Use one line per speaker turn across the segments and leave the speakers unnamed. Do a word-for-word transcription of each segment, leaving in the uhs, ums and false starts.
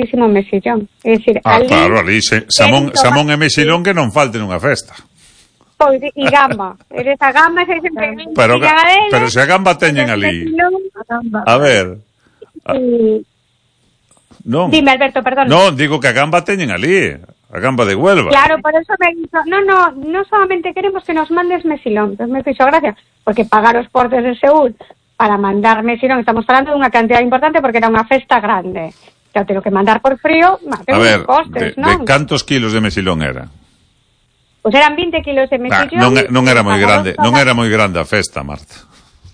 moitísimo mexillón. É dicir,
ah,
ali,
claro, ali se, Samón, Samón e mexillón que non falte nunha festa.
Pois, e gamba. Eres a gamba, se sempre
pero, pero se a gamba teñen ali. A ver. A, non.
Dime, Alberto, perdón.
Non, digo que a gamba teñen ali. A gamba de Huelva.
Claro, por eso me hizo... No, no, no solamente queremos que nos mandes mexilón. Entonces me hizo gracia, porque pagar os portes de Seúl para mandar mexilón, estamos falando de unha cantidad importante porque era unha festa grande. Xa te lo que mandar por frío, má,
a ver,
costes,
de,
non?
de cantos kilos de mexilón era?
Pois pues eran veinte kilos de mexillón.
Ah, non, non era moi grande, non era moi grande a festa, Marta.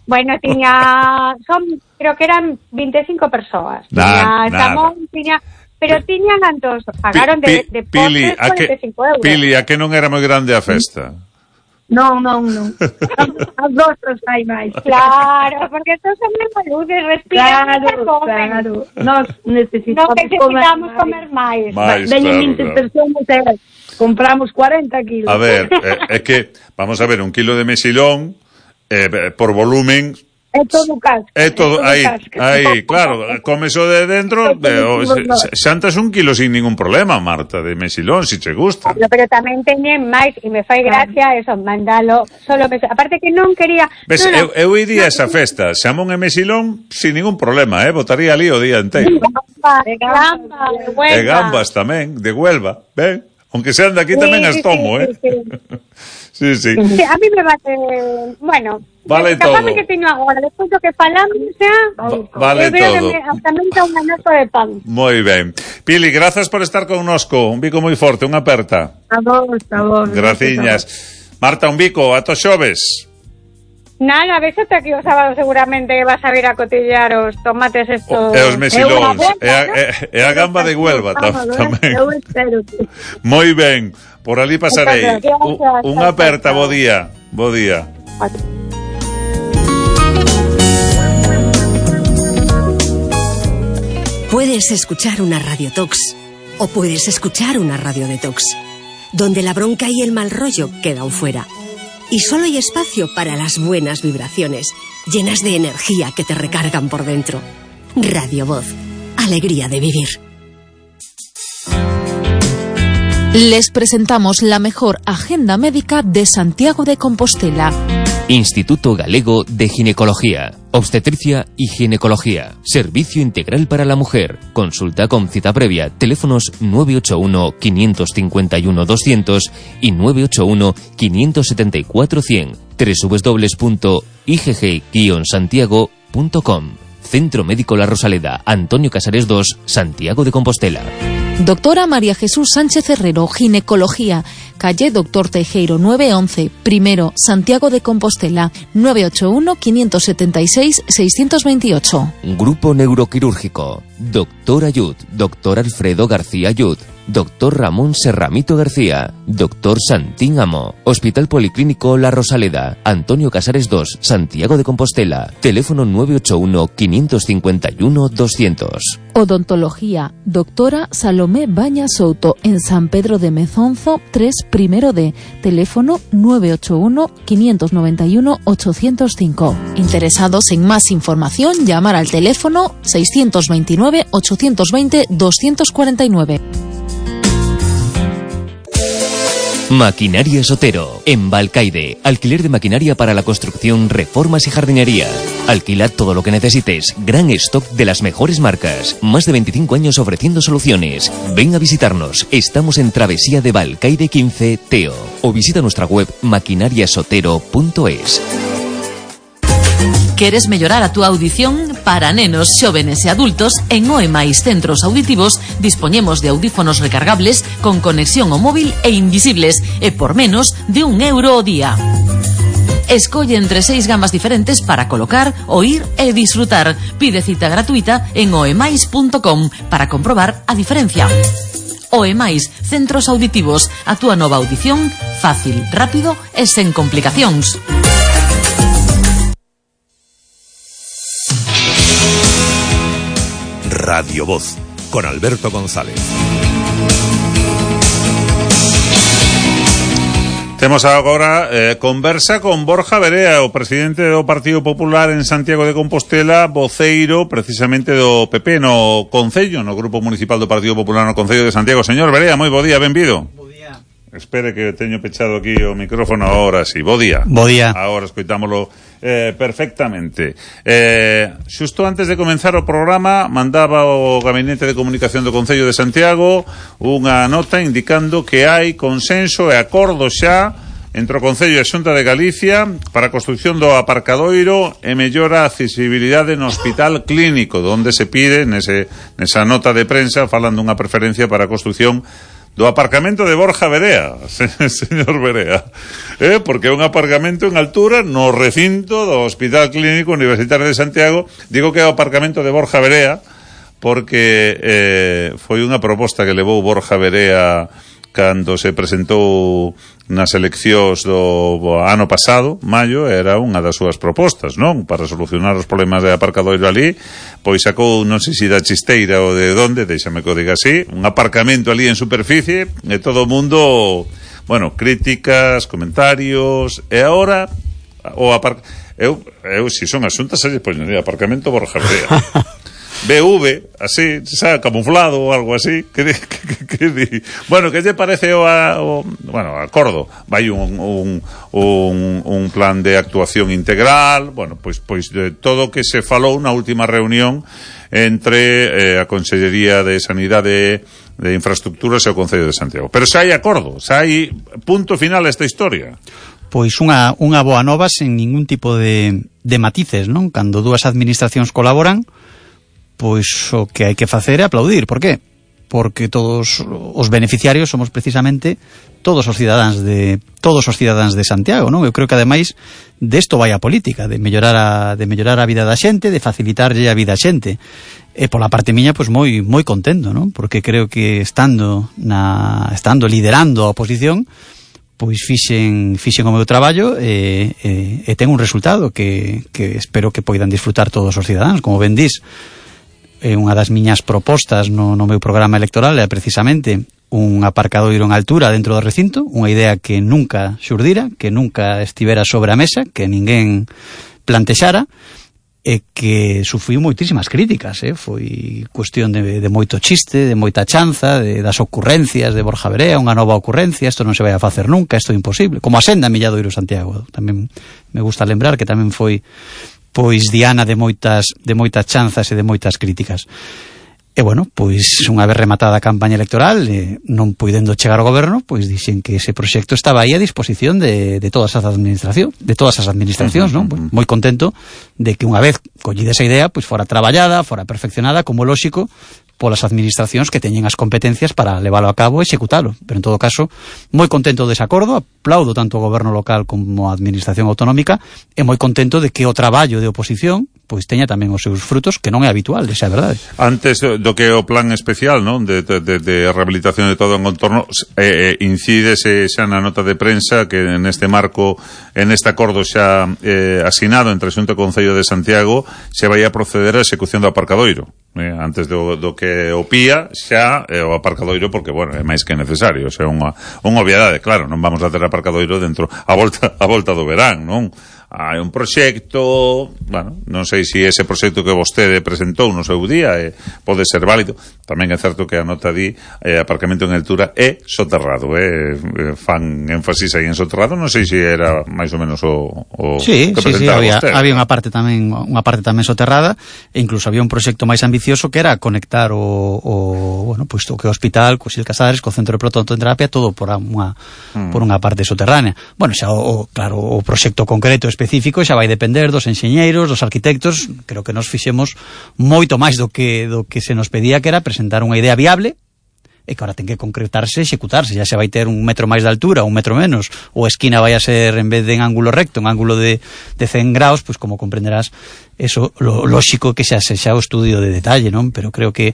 Bueno, tiña... Son, creo que eran veinticinco persoas.
Nah,
tiña Samón, tiña... Pero tiñan antos, pagaron de, de
Pili,
postres cuarenta e cinco euros.
Pili, a que non era moi grande a festa?
Non, non, non. As vostras hai máis.
Claro, porque estos son moi maludes, respiran
claro,
e comen.
Claro, nós necesitamos,
no necesitamos comer máis.
máis
Veñen
claro,
vinte
claro.
persoas e compramos cuarenta kilos.
A ver, é eh, que, vamos a ver, un kilo de mexilón, eh, por volumen...
É todo casca.
É todo, aí, aí, claro, comes o de dentro, de, o, xantas un kilo sin ningún problema, Marta, de mexilón, si che gusta.
Pero, pero tamén teñen máis, e me fai gracia eso, mandalo, solo me... Aparte que non quería...
Ves,
no, no,
eu, eu iría a esa festa, Samón e mexilón, sin ningún problema, eh, botaría ali o día inteiro.
Gamba, de gamba, de Huelva.
E gambas tamén, de Huelva, ben? Aunque sean de aquí sí, tamén as tomo, sí, eh? Sí, sí. sí, sí.
sí, a mí me bate... Bueno...
Vale todo.
Que teño agora, despois do que falamos, xa,
vale todo.
Me, hasta me entra un anazo de pan.
Moi ben. Pili, grazas por estar connosco. Un bico moi forte, unha aperta.
A vos, a vos.
Graciñas. Marta, un bico, ata xoves.
Nada, ves ata aquí o sábado seguramente vas a vir a cotillar os tomates estos...
E os mexilóns. E a, e, e a gamba de Huelva tamén.
Eu espero que...
Moi ben. Por ali pasarei. Unha aperta, bo día. Bo día.
Puedes escuchar una radiotox o puedes escuchar una radio detox, donde la bronca y el mal rollo quedan fuera. Y solo hay espacio para las buenas vibraciones, llenas de energía que te recargan por dentro. Radio Voz, alegría de vivir.
Les presentamos la mejor agenda médica de Santiago de Compostela.
Instituto Galego de Ginecología, Obstetricia y Ginecología. Servicio integral para la mujer. Consulta con cita previa. Teléfonos nueve ocho uno, cinco cinco uno, doscientos y nueve ocho uno, cinco siete cuatro, cien. doble u doble u doble u punto i g g guion santiago punto com. Centro Médico La Rosaleda, Antonio Casares dos, Santiago de Compostela.
Doctora María Jesús Sánchez Herrero, Ginecología, calle Doctor Teijeiro nueve once, primero, Santiago de Compostela, nueve ocho uno, cinco siete seis, seis dos ocho.
Grupo Neuroquirúrgico, Doctor Ayud, Doctor Alfredo García Ayud, Doctor Ramón Serramito García, Doctor Santín Amo, Hospital Policlínico La Rosaleda, Antonio Casares dos, Santiago de Compostela, teléfono nueve ocho uno, cinco cinco uno, doscientos.
Odontología, doctora Salomé Baña Souto, en San Pedro de Mezonzo, tres primero D, teléfono nueve ocho uno, cinco nueve uno, ocho cero cinco. Interesados en más información, llamar al teléfono seis dos nueve, ocho dos cero, dos cuatro nueve.
Maquinaria Sotero, en Balcaide. Alquiler de maquinaria para la construcción, reformas y jardinería. Alquila todo lo que necesites. Gran stock de las mejores marcas. Más de veinticinco años ofreciendo soluciones. Ven a visitarnos. Estamos en Travesía de Balcaide quince, Teo. O visita nuestra web maquinariasotero punto es.
Queres mellorar a túa audición? Para nenos, xóvenes e adultos, en Oemais Centros Auditivos dispoñemos de audífonos recargables con conexión ao móvil e invisibles e por menos de un euro ao día. Escolle entre seis gamas diferentes para colocar, oír e disfrutar. Pide cita gratuita en oemais punto com para comprobar a diferencia. Oemais Centros Auditivos, a túa nova audición fácil, rápido e sen complicacións.
Radio Voz, con Alberto González.
Temos agora eh, conversa con Borja Verea, o presidente do Partido Popular en Santiago de Compostela, voceiro precisamente do P P no Concello, no Grupo Municipal do Partido Popular no Concello de Santiago. Señor Verea, moi bo día, benvido. Bo día. Espere que teño pechado aquí o micrófono ahora, sí, bo día.
Bo día.
Agora escoitámolo eh, perfectamente. Eh, xusto antes de comenzar o programa, mandaba o Gabinete de Comunicación do Concello de Santiago unha nota indicando que hai consenso e acordo xa entre o Concello e a Xunta de Galicia para a construción do aparcadoiro e mellora a accesibilidade no Hospital Clínico, onde se pide nese, nesa nota de prensa falando unha preferencia para a construción do aparcamento de Borja Verea, señor Verea, eh? Porque é un aparcamento en altura no recinto do Hospital Clínico Universitario de Santiago. Digo que é o aparcamento de Borja Verea porque eh, foi unha proposta que levou Borja Verea cando se presentou nas eleccións do ano pasado, maio, era unha das súas propostas, non? Para solucionar os problemas de aparcadoiro ali, pois sacou, non sei se da Chisteira ou de onde, deixame que o diga así, un aparcamento ali en superficie, e todo o mundo, bueno, críticas, comentarios, e agora o aparc... eu, eu, se son asuntas, se poñería aparcamento Borja Verea. B V, así, sabe, camuflado ou algo así, que, que, que, que, bueno, que lle parece o, o bueno, acordo, vai un, un, un, un plan de actuación integral, bueno, pois, pois de todo o que se falou na última reunión entre eh, a Consellería de Sanidade de Infraestructuras e o Concello de Santiago. Pero xa hai acordo, xa hai punto final a esta historia.
Pois unha, unha boa nova sen ningún tipo de, de matices, non? Cando dúas administracións colaboran, pois o que hai que facer é aplaudir. Por qué? Porque todos os beneficiarios somos precisamente todos os cidadáns de todos os cidadáns de Santiago, non? Eu creo que ademais desto vai a política, de mellorar a de mellorar a vida da xente, de facilitarlle a vida a xente. E pola parte miña, pois moi moi contento, non? Porque creo que estando na estando liderando a oposición, pois fixen fixen o meu traballo e, e, e ten un resultado que, que espero que poidan disfrutar todos os cidadáns. Como ben dis, é unha das miñas propostas no, no meu programa electoral é precisamente un aparcadoiro en altura dentro do recinto, unha idea que nunca xurdira, que nunca estivera sobre a mesa, que ninguén plantexara, e que sufriu moitísimas críticas, eh? Foi cuestión de, de moito chiste, de moita chanza, de, das ocurrencias de Borja Verea, unha nova ocurrencia, isto non se vai a facer nunca, isto é imposible, como a senda Milladoiro Santiago. Tamén me gusta lembrar que tamén foi pois diana de moitas de moitas chanzas e de moitas críticas. E bueno, pois unha vez rematada a campaña electoral, eh, non puidendo chegar ao goberno, pois dixen que ese proxecto estaba aí a disposición de, de todas as administracións, de todas as administracións, non? Pois moi contento de que unha vez collida esa idea, pois fora traballada, fora perfeccionada, como lóxico, polas administracións que teñen as competencias para leválo a cabo e executalo. Pero en todo caso, moi contento dese acordo, aplaudo tanto o goberno local como a administración autonómica e moi contento de que o traballo de oposición pois teña tamén os seus frutos, que non é habitual, esa é a verdade.
Antes do que o plan especial, non, de, de, de rehabilitación de todo o entorno, eh, incídese xa na nota de prensa que neste marco, en este acordo xa eh, asinado entre Xunta e Concello de Santiago, se vai a proceder á execución do aparcadoiro. Eh, antes do, do que o pía xa é o aparcadoiro, porque, bueno, é máis que necesario, o sea, unha, unha obviedade, claro, non vamos a ter aparcadoiro dentro a volta, a volta do verán, non? Hai un proxecto, bueno, non sei se ese proxecto que vostede presentou no seu día eh, pode ser válido. Tamén é certo que a nota di eh, aparcamento en altura é soterrado, eh, fan énfasis aí en soterrado, non sei se era máis ou menos o, o
sí,
que
sí, sí,
presentaba
había,
vostede.
había unha parte tamén unha parte tamén soterrada, e incluso había un proxecto máis ambicioso que era conectar o, o bueno, pois o que o hospital, co Xil Casares, co centro de protonterapia, todo por unha mm. por unha parte soterránea. Bueno, xa o, o claro, o proxecto concreto específico xa vai depender dos enxeñeiros, dos arquitectos. Creo que nos fixemos moito máis do que do que se nos pedía, que era presentar unha idea viable e que ahora ten que concretarse e executarse. Ya se vai ter un metro máis de altura, un metro menos, ou a esquina vai a ser, en vez de en ángulo recto, en ángulo de, de cen graus, pois como comprenderás, eso, lo lóxico que xa se xa o estudio de detalle, non? Pero creo que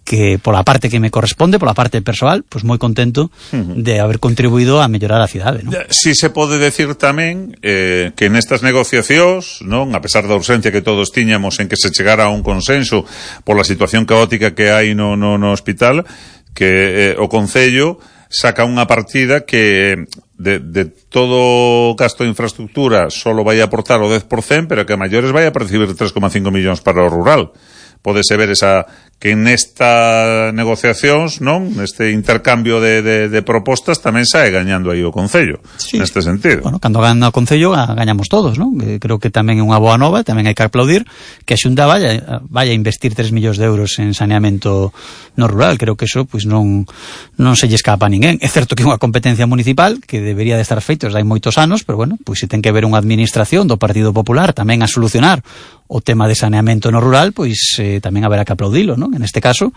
que pola parte que me corresponde, pola parte persoal, pois moi contento uh-huh. de haber contribuído a mellorar a cidade, non?
Si se pode decir tamén eh, que nestas negociacións, non, a pesar da urxencia que todos tiñamos en que se chegara a un consenso pola situación caótica que hai no, no, no hospital, que eh, o Concello saca unha partida que de, de todo gasto de infraestructura solo vai a aportar o dez por cento, pero que a maiores vai a percibir tres coma cinco millóns para o rural. Pódese ver esa que nesta negociacións, non, neste intercambio de, de, de propostas tamén sae gañando aí o Concello, sí, neste sentido.
Bueno, cando gana o Concello gañamos todos, non? Creo que tamén é unha boa nova, tamén hai que aplaudir que a Xunta vaya, vaya a investir tres millóns de euros en saneamento no rural. Creo que eso pois non non se lle escapa a ninguén. É certo que é unha competencia municipal que debería de estar feitos hai moitos anos, pero bueno, pois se ten que ver unha administración do Partido Popular tamén a solucionar o tema de saneamento no rural, pois eh, tamén haberá que aplaudilo, non? En este caso,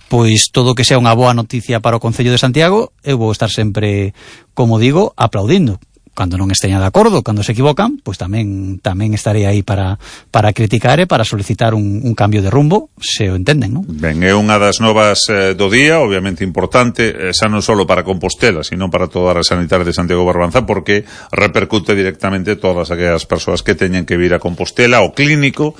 pois todo que sea unha boa noticia para o Concello de Santiago, eu vou estar sempre, como digo, aplaudindo. Cando non esteña de acordo, cando se equivocan, pois tamén tamén estarei aí para para criticar e para solicitar un, un cambio de rumbo, se o entenden, non?
Ben, é unha das novas eh, do día, obviamente importante, eh, xa non só para Compostela, sino para toda a red sanitaria de Santiago Barbanza, porque repercute directamente todas aquelas persoas que teñen que vir a Compostela, ao clínico,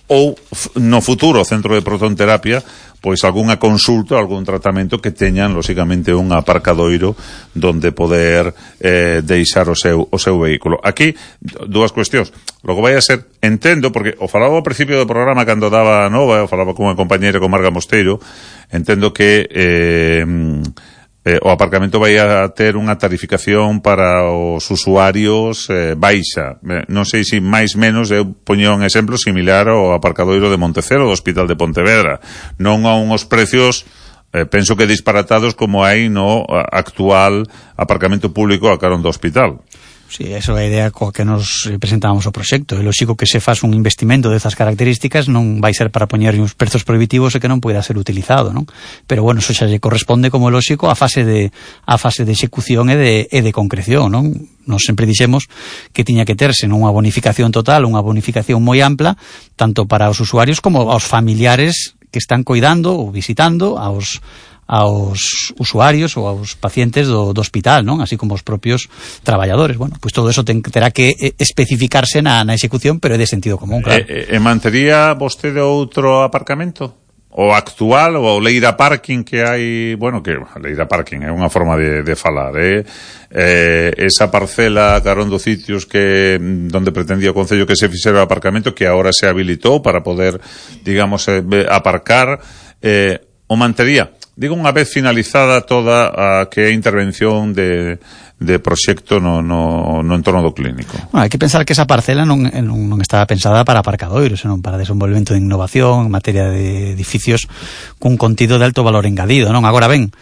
ou no futuro o centro de protonterapia, pois algunha consulta, algún tratamento que teñan, lóxicamente, un aparcadoiro donde poder eh, deixar o seu, o seu vehículo. Aquí, dúas cuestións. Logo vai a ser, entendo, porque o falaba ao principio do programa cando daba a nova, o falaba con unha compañera, con Marga Mosteiro, entendo que eh, eh, o aparcamento vai a ter unha tarificación para os usuarios eh, baixa. Eh, non sei se máis menos, eu poño un exemplo similar ao aparcadoiro de Montecelo do Hospital de Pontevedra. Non a unhos precios, eh, penso que disparatados como hai no actual aparcamento público a carón do hospital.
Sí, eso é a idea coa que nos presentábamos o proxecto. É lógico que se faz un investimento destas características non vai ser para poñer uns prezos prohibitivos e que non poida ser utilizado, non? Pero bueno, eso xa lle corresponde, como lógico, a fase de a fase de execución e de, e de concreción, non? Nos sempre dixemos que tiña que terse non unha bonificación total, unha bonificación moi ampla, tanto para os usuarios como aos familiares que están coidando ou visitando aos aos usuarios ou aos pacientes do, do hospital, non? Así como os propios traballadores. Bueno, pois pues todo eso ten, terá que especificarse na, na execución, pero é de sentido común, claro.
E, e mantería vostede outro aparcamento? O actual, ou o Leira Parking que hai, bueno, que Leira Parking é unha forma de, de falar, eh? eh? Esa parcela carón dos sitios que donde pretendía o Concello que se fixera o aparcamento, que agora se habilitou para poder, digamos, eh, aparcar, eh, o mantería? Digo, unha vez finalizada toda a que é a intervención de, de proxecto no, no, no entorno do clínico.
Bueno, hai que pensar que esa parcela non, non, non estaba pensada para aparcadoiros, senón para desenvolvemento de innovación en materia de edificios cun contido de alto valor engadido, non? Agora ben,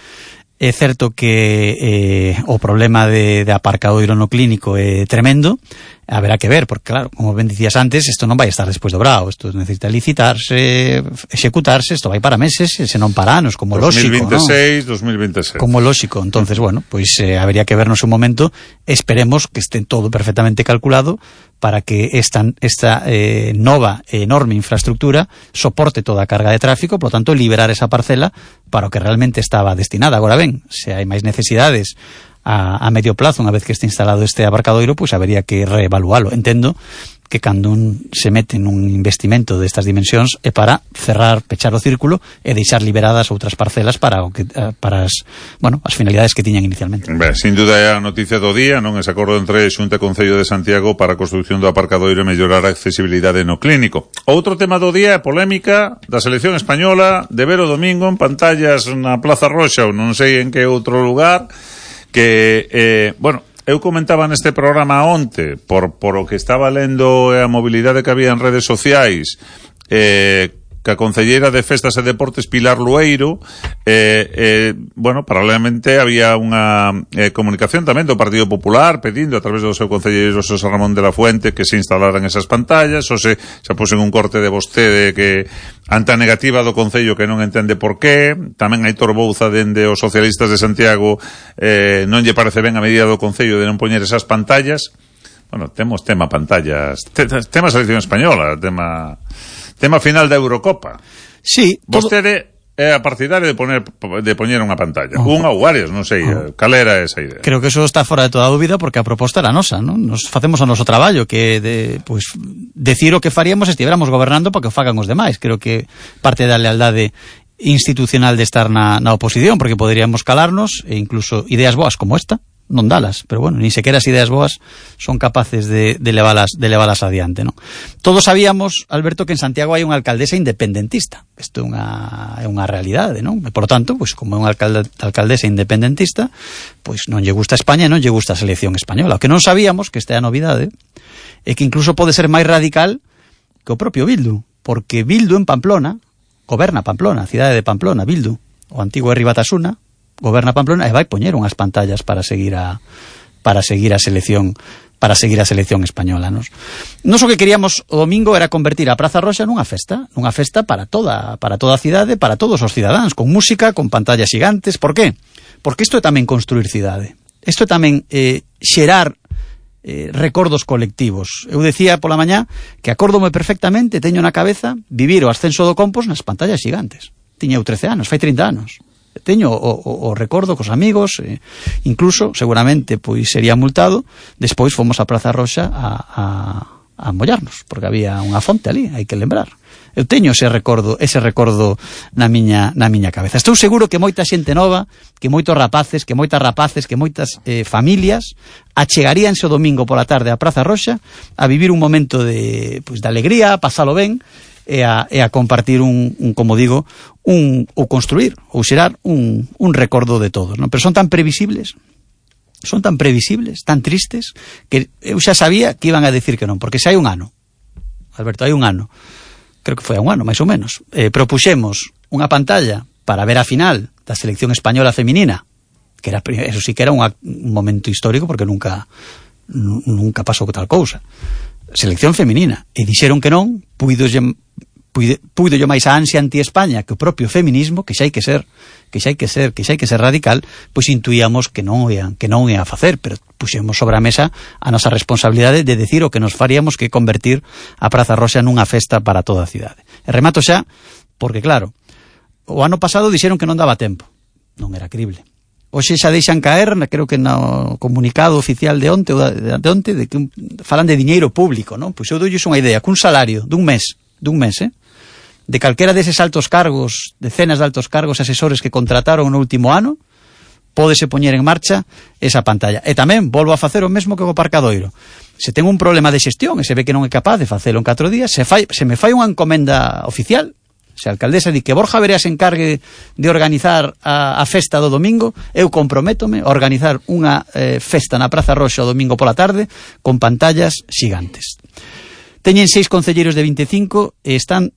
é certo que eh, o problema de, de aparcadoiro no clínico é tremendo. Haberá que ver, porque claro, como ben dicías antes, isto non vai estar despois do brao, isto necesita licitarse, executarse, isto vai para meses, e se non para anos, como lógico,
dos mil veintiséis, ¿no? dos mil veintisiete.
Como lógico, entonces, bueno, pois pues, eh, habería que vernos un momento, esperemos que este todo perfectamente calculado para que esta, esta eh, nova e enorme infraestructura soporte toda a carga de tráfico, por lo tanto, liberar esa parcela para o que realmente estaba destinada. Agora ben, se hai máis necesidades a, a medio plazo, unha vez que este instalado este aparcadoiro, pois pues habería que reevalualo. Entendo que cando un se mete nun investimento destas dimensións é para cerrar, pechar o círculo e deixar liberadas outras parcelas para o que para as, bueno, as finalidades que tiñan inicialmente.
Ben, sin duda é a noticia do día, non? Ese acordo entre Xunta e Concello de Santiago para a construción do aparcadoiro e mellorar a accesibilidade no clínico. Outro tema do día é a polémica da selección española de ver o domingo en pantallas na Plaza Roxa ou non sei en que outro lugar que, eh, bueno, eu comentaba neste programa onte, por, por o que estaba lendo e a mobilidade que había en redes sociais, eh, que a concelleira de Festas e Deportes Pilar Lueiro, eh, eh, bueno, paralelamente había unha eh, comunicación tamén do Partido Popular pedindo a través do seu concelleiro José Ramón de la Fuente que se instalaran esas pantallas, ou se xa pusen un corte de vostede que ante a negativa do Concello que non entende por qué, tamén hai Torbouza dende os socialistas de Santiago, eh, non lle parece ben a medida do Concello de non poñer esas pantallas. Bueno, temos tema pantallas, tema selección española, tema tema final da Eurocopa.
Sí,
vostede é a partidaria de poner de poñer unha pantalla, oh. unha ou varias, non sei, oh. cal era esa idea.
Creo que eso está fora de toda dúbida porque a proposta era nosa, non? Nos facemos o noso traballo, que de, pues, decir o que faríamos se estiveramos gobernando para que o fagan os demais. Creo que parte da lealdade institucional de estar na, na oposición, porque poderíamos calarnos e incluso ideas boas como esta non dalas, pero bueno, ni sequera as ideas boas son capaces de, de, levalas, de levalas adiante, non? Todos sabíamos, Alberto, que en Santiago hai unha alcaldesa independentista. Isto é unha, é unha realidade, non? E, por tanto, pues, como é unha alcalde, alcaldesa independentista, pois pues, non lle gusta España e non lle gusta a selección española. O que non sabíamos, que esta é a novidade, é que incluso pode ser máis radical que o propio Bildu, porque Bildu en Pamplona goberna Pamplona, a cidade de Pamplona, Bildu, o antigo Herri Batasuna, goberna Pamplona e vai poñer unhas pantallas para seguir a para seguir a selección para seguir a selección española, nos. Nos o que queríamos o domingo era convertir a Praza Roxa nunha festa, nunha festa para toda para toda a cidade, para todos os cidadáns, con música, con pantallas gigantes. Por qué? Porque isto é tamén construir cidade. Isto é tamén eh, xerar Eh, recordos colectivos. Eu decía pola mañá que acórdome perfectamente, teño na cabeza vivir o ascenso do Compos nas pantallas gigantes. Tiña eu trece anos, fai trinta anos. Teño o, o, o recordo cos amigos, eh, incluso, seguramente, pois sería multado. Despois fomos a Praza Roxa a, a, a mollarnos, porque había unha fonte ali, hai que lembrar. Eu teño ese recordo, ese recordo na miña na miña cabeza. Estou seguro que moita xente nova, que moitos rapaces, que moitas rapaces, que moitas eh, familias achegaríanse o domingo pola tarde á Praza Roxa a vivir un momento de, pois, de alegría, a pasalo ben e a, e a compartir un, un, como digo, un, ou construir, ou xerar un, un recordo de todos, non? Pero son tan previsibles, son tan previsibles, tan tristes, que eu xa sabía que iban a decir que non, porque xa hai un ano, Alberto, hai un ano, creo que foi a un ano, máis ou menos, eh, propuxemos unha pantalla para ver a final da selección española feminina, que era, eso sí que era un, un momento histórico, porque nunca nunca pasou tal cousa. Selección feminina. E dixeron que non, puido puido yo máis a ansia anti-España que o propio feminismo, que xa hai que ser, que xa hai que ser, que xa hai que ser radical, pois intuíamos que non ian, que non ia a facer, pero puxemos sobre a mesa a nosa responsabilidade de decir o que nos faríamos que convertir a Praza Roxa nunha festa para toda a cidade. E remato xa, porque claro, o ano pasado dixeron que non daba tempo. Non era crible. Hoxe xa deixan caer, creo que no comunicado oficial de onte, de, de onte, de que un, falan de diñeiro público, non? Pois eu doulles unha idea, que un salario dun mes, dun mes, eh? de calquera deses altos cargos, decenas de altos cargos asesores que contrataron no último ano, pódese poñer en marcha esa pantalla. E tamén volvo a facer o mesmo que o Parcadoiro. Se ten un problema de xestión e se ve que non é capaz de facelo en catro días, se, fai, se me fai unha encomenda oficial, se a alcaldesa di que Borja Verea se encargue de organizar a, a festa do domingo, eu comprométome a organizar unha eh, festa na Praza Roxa o domingo pola tarde con pantallas xigantes. Teñen seis concelleiros de veinticinco e están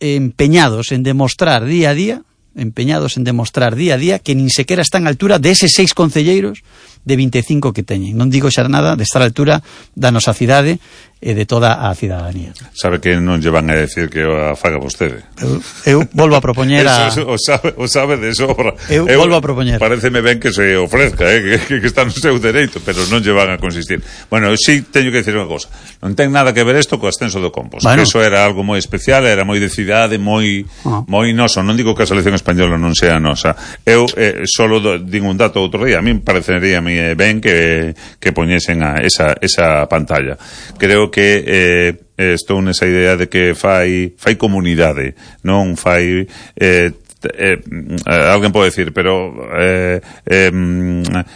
empeñados en demostrar día a día, empeñados en demostrar día a día que nin sequera están á altura de eses seis concelleiros de veinticinco que teñen. Non digo xa nada de estar á altura da nosa cidade e de toda a cidadanía.
Sabe que non lle van a decir que a faga vostede.
Eu, eu volvo a propoñer a...
Eso, o, sabe, o sabe de sobra.
Eu, eu volvo a propoñer.
Pareceme ben que se ofrezca, eh, que, que está no seu dereito, pero non lle van a consistir. Bueno, eu sí teño que decir unha cosa. Non ten nada que ver isto co ascenso do Compos. Bueno. Que eso era algo moi especial, era moi de cidade, moi, ah. moi noso. Non digo que a selección española non sea nosa. Eu eh, solo do, digo un dato outro día. A mí parecería ben que, que poñesen a esa, esa pantalla. Creo que eh, estou nesa idea de que fai fai comunidade, non fai eh, eh, alguén pode decir, pero eh, eh,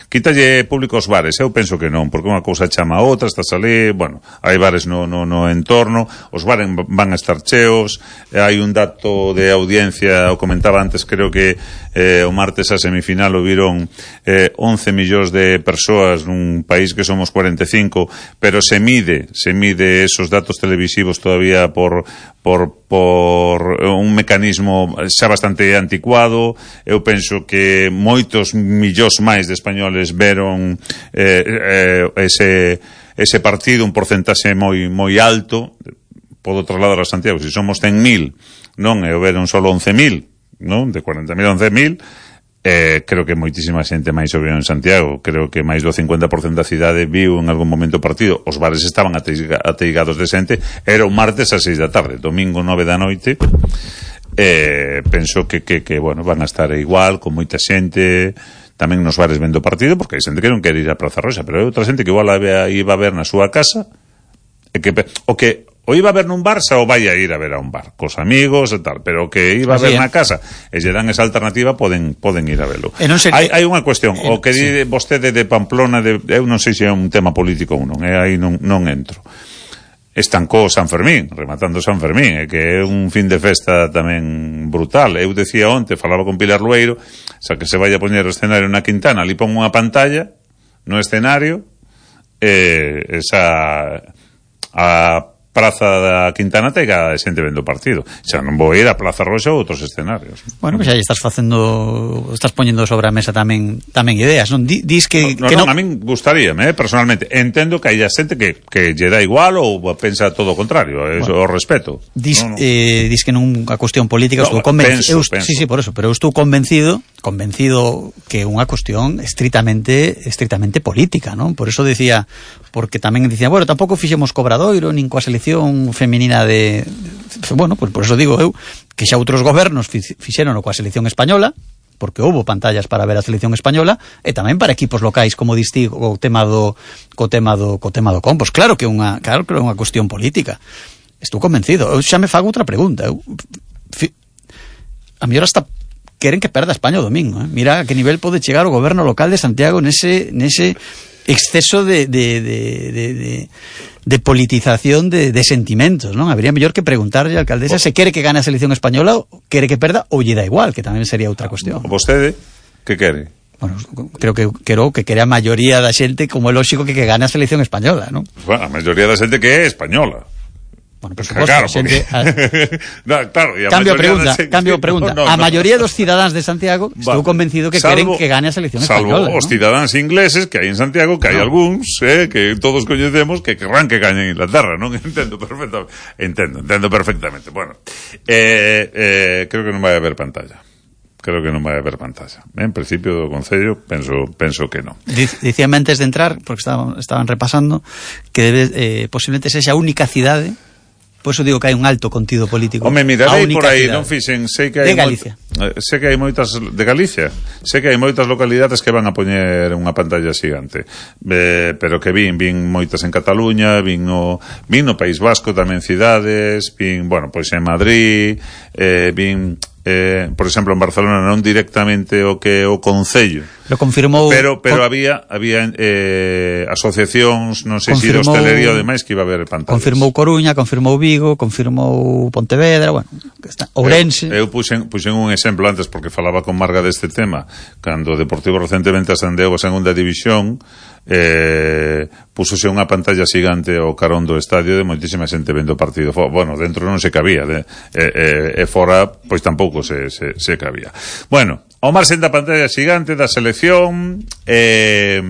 quítalle público aos bares. Eu penso que non, porque unha cousa chama a outra, estás ali, bueno, hai bares no, no, no entorno, os bares van a estar cheos, hai un dato de audiencia, o comentaba antes, creo que eh, o martes a semifinal o viron eh, once millóns de persoas nun país que somos cuarenta e cinco, pero se mide, se mide esos datos televisivos todavía por por, por un mecanismo xa bastante anticuado. Eu penso que moitos millóns máis de españoles veron eh, eh, ese, ese partido, un porcentaxe moi moi alto. Podo trasladar a Santiago, se somos cen mil, non, e o veron solo once mil, non, de cuarenta mil a once mil, eh, creo que moitísima xente máis o viu en Santiago. Creo que máis do cincuenta por cento da cidade viu en algún momento o partido. Os bares estaban ateigados de xente. Era o martes a seis da tarde, domingo nove da noite. Eh, penso que, que, que, bueno, van a estar igual, con moita xente tamén nos bares vendo o partido, porque hai xente que non quere ir a Praza Roxa, pero hai outra xente que igual a iba a ver na súa casa, e que o que o iba a ver nun bar, xa o vai a ir a ver a un bar, cos amigos e tal, pero que iba a ver
Así,
na casa e lle dan esa alternativa, poden poden ir a velo.
Ser...
Hai, hai unha cuestión,
eh,
o que di
sí.
vostede de Pamplona, de, eu non sei se é un tema político ou non, eh, aí non, non entro. Estancou San Fermín, rematando San Fermín, e que é un fin de festa tamén brutal. Eu decía onte, falaba con Pilar Lueiro, xa que se vai a poñer o escenario na Quintana, ali pon unha pantalla no escenario, e esa a Praza da Quintana tega xente vendo partido. Xa non vou ir a Plaza Roxa ou outros escenarios.
Bueno, pois pues aí estás facendo, estás poñendo sobre a mesa tamén tamén ideas, non? Di, dis que
no,
que
non,
non,
a min gustaríame, eh, personalmente. Entendo que hai xente que que lle dá igual ou pensa todo o contrario, eso bueno, o respeto.
Dis,
no, no.
Eh, dis que non a cuestión política,
no,
estou convencido.
Penso, penso.
Sí, sí, por eso, pero eu estou convencido, convencido que é unha cuestión estritamente estritamente política, non? Por eso decía, porque tamén dicía, bueno, tampouco fixemos Cobradoiro nin coa selección feminina de, de bueno, pues por eso digo eu que xa outros gobernos fixeron coa selección española, porque houbo pantallas para ver a selección española e tamén para equipos locais, como distí o tema do co tema do co tema do Compos. Claro que é unha, claro que é unha cuestión política. Estou convencido. Eu xa me fago outra pregunta. Eu, fi, a mellor hasta queren que perda España o domingo, eh? Mira a que nivel pode chegar o goberno local de Santiago nese nese exceso de de de de, de de politización de, de sentimentos, non? Habría mellor que preguntarlle á alcaldesa se quere que gane a selección española ou quere que perda ou lle dá igual, que tamén sería outra cuestión.
Vostede, que quere?
Bueno, creo que quero que quere a maioría da xente, como é lóxico que que gane a selección española, non?
Bueno, a maioría da xente que é española.
Bueno, por suposto,
claro,
xente,
porque... a... no, claro, e a
cambio pregunta,
xente...
cambio pregunta.
No, no,
a
no.
maioría dos cidadáns de Santiago estou
Va.
convencido que
salvo,
queren que gane a selección
salvo
española.
Salvo os
¿no?
cidadáns ingleses que hai en Santiago, que hai
no.
algúns, eh, que todos coñecemos, que querrán que gañen Inglaterra, non? Entendo perfectamente. Entendo, entendo perfectamente. Bueno, eh, eh, creo que non vai haber pantalla. Creo que non vai haber pantalla. En principio do Concello penso penso que non.
Dicíame antes de entrar, porque estaban, estaban repasando, que debe, eh, posiblemente sexa a única cidade. Por eso digo que hai un alto contido político.
Home, mirarei por aí, non fixen, sei que hai
de Galicia.
Moi, sei que hai moitas de Galicia. Sei que hai moitas localidades que van a poñer unha pantalla xigante. Eh, pero que vin, vin moitas en Cataluña, vin no vin no País Vasco tamén cidades, vin, bueno, pois en Madrid, eh, vin eh, por exemplo, en Barcelona non directamente o que o Concello.
Lo confirmou.
Pero pero
con,
había había eh, asociacións, non sei se de hostelería ou demais que iba a haber pantallas.
Confirmou Coruña, confirmou Vigo, confirmou Pontevedra, bueno, está Ourense.
Eu, eu puxen, puxen un exemplo antes porque falaba con Marga deste tema, cando o Deportivo recentemente ascendeu a segunda división, eh, pusose unha pantalla xigante ao carón do estadio de moitísima xente vendo o partido. Bueno, dentro non se cabía, de, e, e, e fora pois tampouco se, se, se cabía. Bueno, ao marxen da pantalla xigante da selección, eh,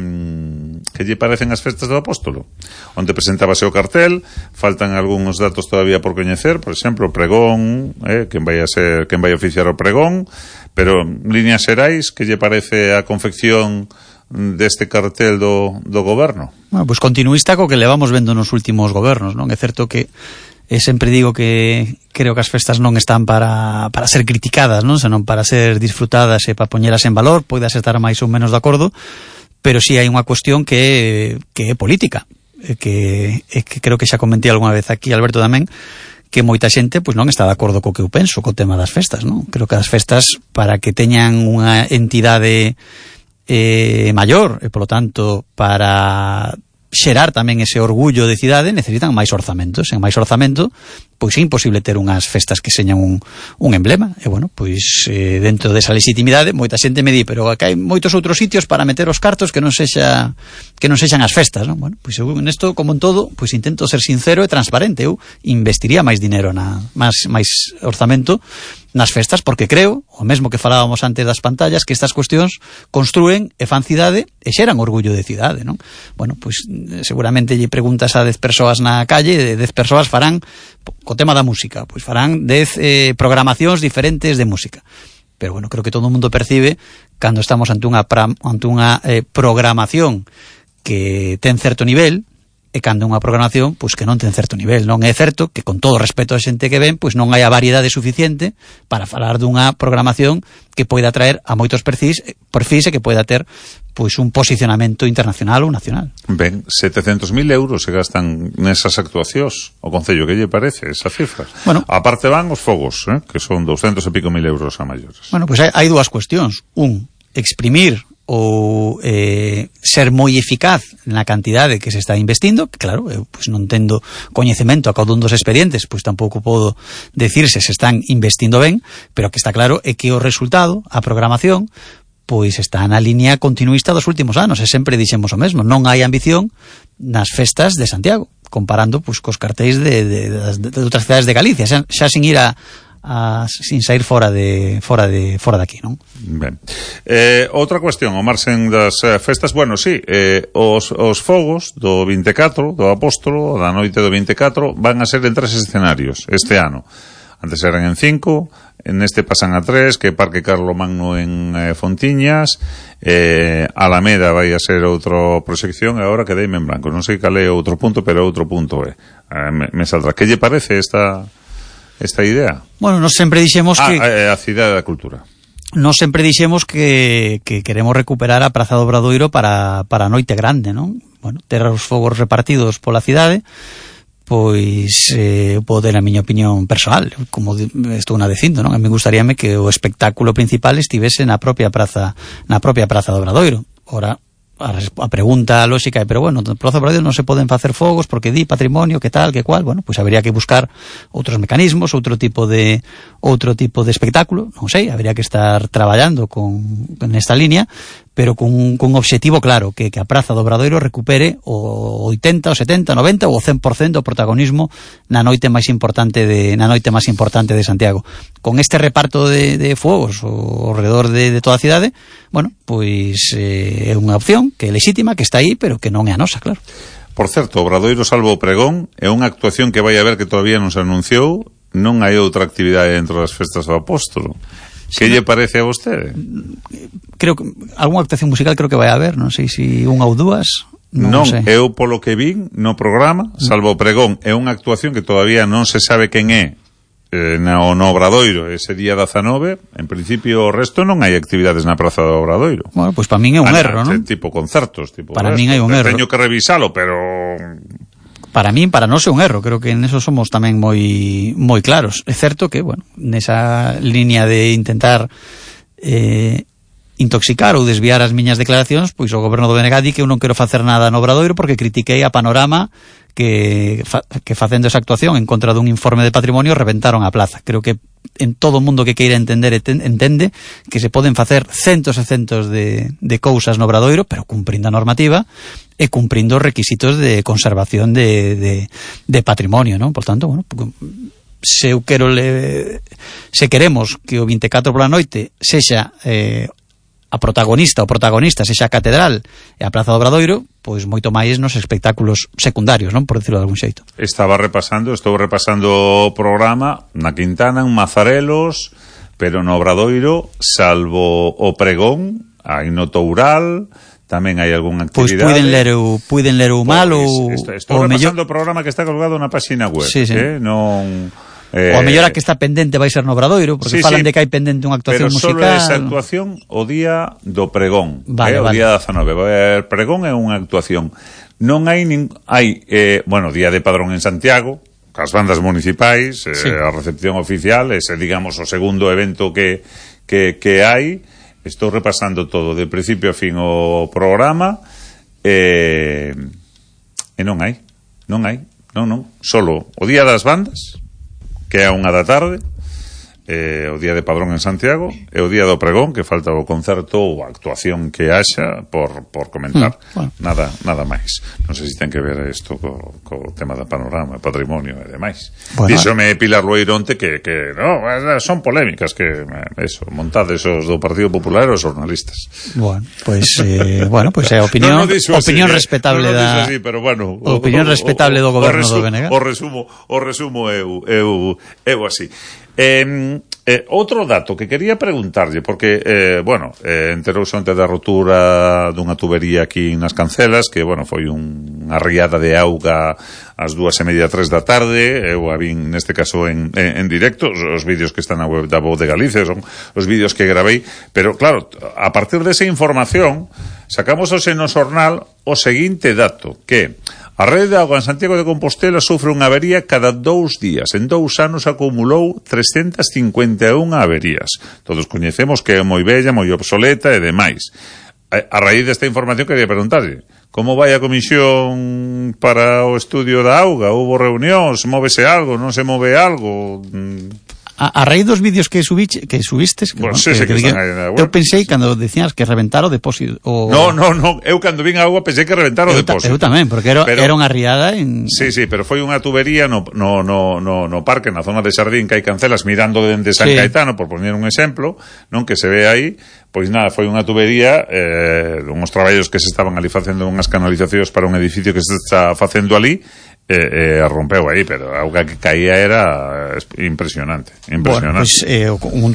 que lle parecen as festas do Apóstolo, onde presentábase o cartel. Faltan algúns datos todavía por coñecer, por exemplo, o pregón, eh, quen vai a ser, quen vai a oficiar o pregón, pero líneas xerais, que lle parece a confección deste cartel do, do goberno?
Bueno, pois pues continuista co que levamos vendo nos últimos gobernos, non? É certo que e sempre digo que creo que as festas non están para, para ser criticadas, non? Senón para ser disfrutadas e para poñelas en valor. Poidas estar máis ou menos de acordo, pero si sí hai unha cuestión que, que é política, que, que creo que xa comentei algunha vez aquí, Alberto, tamén, que moita xente pois non está de acordo co que eu penso co tema das festas, non? Creo que as festas, para que teñan unha entidade eh, maior, e polo tanto para xerar tamén ese orgullo de cidade, necesitan máis orzamentos. En máis orzamento, pois é imposible ter unhas festas que señan un, un emblema. E bueno, pois eh, dentro desa legitimidade, moita xente me di, pero acá hai moitos outros sitios para meter os cartos que non sexa que non sexan as festas, non? Bueno, pois eu nesto, como en todo, pois intento ser sincero e transparente. Eu investiría máis dinero na máis máis orzamento nas festas, porque creo, o mesmo que falábamos antes das pantallas, que estas cuestións construen e fan cidade e xeran orgullo de cidade, non? Bueno, pois seguramente lle preguntas a dez persoas na calle, de dez persoas farán co tema da música, pois farán dez eh, programacións diferentes de música. Pero bueno, creo que todo o mundo percibe cando estamos ante unha pra, ante unha eh, programación que ten certo nivel e cando unha programación pois que non ten certo nivel. Non é certo que, con todo respeto a xente que ven, pois non hai a variedade suficiente para falar dunha programación que poida atraer a moitos perfis, perfis e que poida ter pois un posicionamento internacional ou nacional.
Ben, setecentos mil euros se gastan nesas actuacións. O Concello, que lle parece esa cifra?
Bueno,
aparte van os fogos, eh, que son doscientos e pico mil euros a maiores.
Bueno, pois hai, hai dúas cuestións. Un, exprimir ou eh, ser moi eficaz na cantidade que se está investindo, que claro, eu pois non tendo coñecemento a cada un dos expedientes, pois tampouco podo decirse se están investindo ben, pero que está claro é que o resultado, a programación, pois está na línea continuista dos últimos anos, e sempre dixemos o mesmo, non hai ambición nas festas de Santiago, comparando pois cos cartéis de, de, de, de outras cidades de Galicia, xa, xa sin ir a A, sin sair fora de fora de fora de aquí, non?
Ben. Eh, outra cuestión, o marxen das eh, festas, bueno, sí, eh, os, os fogos do vinte e catro, do Apóstolo, da noite do vinte e catro, van a ser en tres escenarios este ano. Antes eran en cinco, neste pasan a tres, que Parque Carlomagno en eh, Fontiñas, eh, Alameda vai a ser outra proxección, e agora quedeime en branco. Non sei cal é outro punto, pero outro punto é. Eh, me, me saldrá. Que lle parece esta... esta idea?
Bueno, nos sempre dixemos
ah,
que...
a, a Cidade da Cultura.
Nos sempre dixemos que, que queremos recuperar a Praza do Obradoiro para, para a noite grande, non? Bueno, ter os fogos repartidos pola cidade, pois eh, pode ter a miña opinión persoal, como estou na dicindo, non? A mí gustaríame que o espectáculo principal estivese na propia praza, na propia Praza do Obradoiro. Ora, a, a pregunta lógica é, pero bueno, no Praza do Obradoiro non se poden facer fogos porque di patrimonio, que tal, que cual, bueno, pois habría que buscar outros mecanismos, outro tipo de outro tipo de espectáculo, non sei, habría que estar traballando con nesta línea, pero con un, con un objetivo claro, que, que a Praza do Obradoiro recupere o oitenta, o setenta, o noventa ou o cen por cento do protagonismo na noite máis importante de na noite máis importante de Santiago. Con este reparto de, de fogos ao redor de, de toda a cidade, bueno, pois eh, é unha opción que é lexítima, que está aí, pero que non é a nosa, claro.
Por certo, Obradoiro salvo o pregón é unha actuación que vai haber que todavía non se anunciou, non hai outra actividade dentro das festas do Apóstolo. Que lle parece a vostede?
Creo que algunha actuación musical creo que vai haber, non sei se unha ou dúas. Non,
non
sei.
Eu polo que vin no programa, salvo o pregón, é unha actuación que todavía non se sabe quen é eh, no, no Obradoiro ese día dezanove. En principio o resto non hai actividades na Praza do Obradoiro.
Bueno, pois para min é un
ah,
erro, non?
Tipo concertos, tipo
para min hai un erro.
Teño que revisalo, pero
para min, para nós é un erro, creo que en eso somos tamén moi moi claros. É certo que, bueno, nesa línea de intentar eh, intoxicar ou desviar as miñas declaracións, pois o goberno do B N G di que eu non quero facer nada no Obradoiro porque critiquei a Panorama que, fa, que facendo esa actuación en contra dun informe de patrimonio reventaron a plaza. Creo que en todo o mundo que queira entender entende que se poden facer centos e centos de, de cousas no Obradoiro, pero cumprindo a normativa e cumprindo os requisitos de conservación de, de, de patrimonio, non? Por tanto, bueno, se eu quero le, se queremos que o vinte e catro pola noite sexa eh, a protagonista, o protagonista sexa a Catedral e a Praza do Obradoiro, pois moito máis nos espectáculos secundarios, non? Por decirlo de algún xeito.
Estaba repasando, estou repasando o programa na Quintana, en Mazarelos, pero no Obradoiro, salvo o pregón, hai no Toural, tamén hai algunha actividade.
Pois puiden ler o, puiden ler o mal ou...
Estou repasando mellor... o programa que está colgado na página web,
sí, sí.
Eh? Non...
Eh, o a mellor a que está pendente vai ser no Obradoiro, porque sí, falan sí, de que hai pendente unha actuación
pero
musical.
Pero só esa actuación o día do pregón,
vale,
eh, o
vale.
día dezanove. O pregón é unha actuación. Non hai, nin, hai eh, bueno, día de padrón en Santiago, cas bandas municipais, eh, sí. A recepción oficial, ese, digamos, o segundo evento que, que, que hai. Estou repasando todo, de principio a fin o programa, eh, e non hai, non hai, non, non, solo o día das bandas, que é a unha da tarde, eh, o día de padrón en Santiago, e o día do pregón, que falta o concerto ou a actuación que haxa por, por comentar. Mm, bueno. Nada nada máis. Non sei se ten que ver isto co, co tema da Panorama, patrimonio e demais. Bueno, díxome Pilar Loironte que, que no, son polémicas, que eso, montades os do Partido Popular e os jornalistas.
Bueno, pois pues, eh, bueno, pues é opinión, no, no opinión así, respetable eh? no, no da
así, pero bueno,
opinión o, respetable do goberno
resu,
do B N G.
O resumo, o resumo eu, eu, eu así. Eh, Eh, outro dato que quería preguntarlle, porque, eh, bueno, eh, enterouse onte da rotura dunha tubería aquí nas Cancelas, que, bueno, foi unha riada de auga ás dúas e media, tres da tarde, eu a vin, neste caso, en, en, en directo, os, os vídeos que están na web da Voz de Galicia, son os vídeos que gravei, pero, claro, a partir desa información, sacamos hoxe no xornal o seguinte dato, que a rede de auga en Santiago de Compostela sufre unha avería cada dous días. En dous anos acumulou trescentas cincuenta e unha averías. Todos coñecemos que é moi bella, moi obsoleta e demais. A raíz desta información quería preguntarlle, como vai a comisión para o estudio da auga? Houbo reunións? Móvese algo? Non se move algo?
A, a raíz dos vídeos que subiste, que subistes, que,
bueno,
bueno,
sí,
que,
sí, que
que
están aí na web.
Eu pensei cando decías que reventar o depósito o...
No, no, no, eu cando vin a auga pensei que reventar o
eu
depósito.
Eu tamén, porque era,
pero,
era unha riada en...
Sí, sí, pero foi unha tubería no, no, no, no, no parque, na zona de Sardín, que hai Cancelas, mirando dende San
sí.
Caetano, por poner un exemplo, non, que se ve aí. Pois nada, foi unha tubería, eh, unhos traballos que se estaban ali facendo unhas canalizacións para un edificio que se está facendo ali, e eh, eh, rompeu aí, pero a auga que caía era impresionante, impresionante.
Bueno, pois pues, eh, un,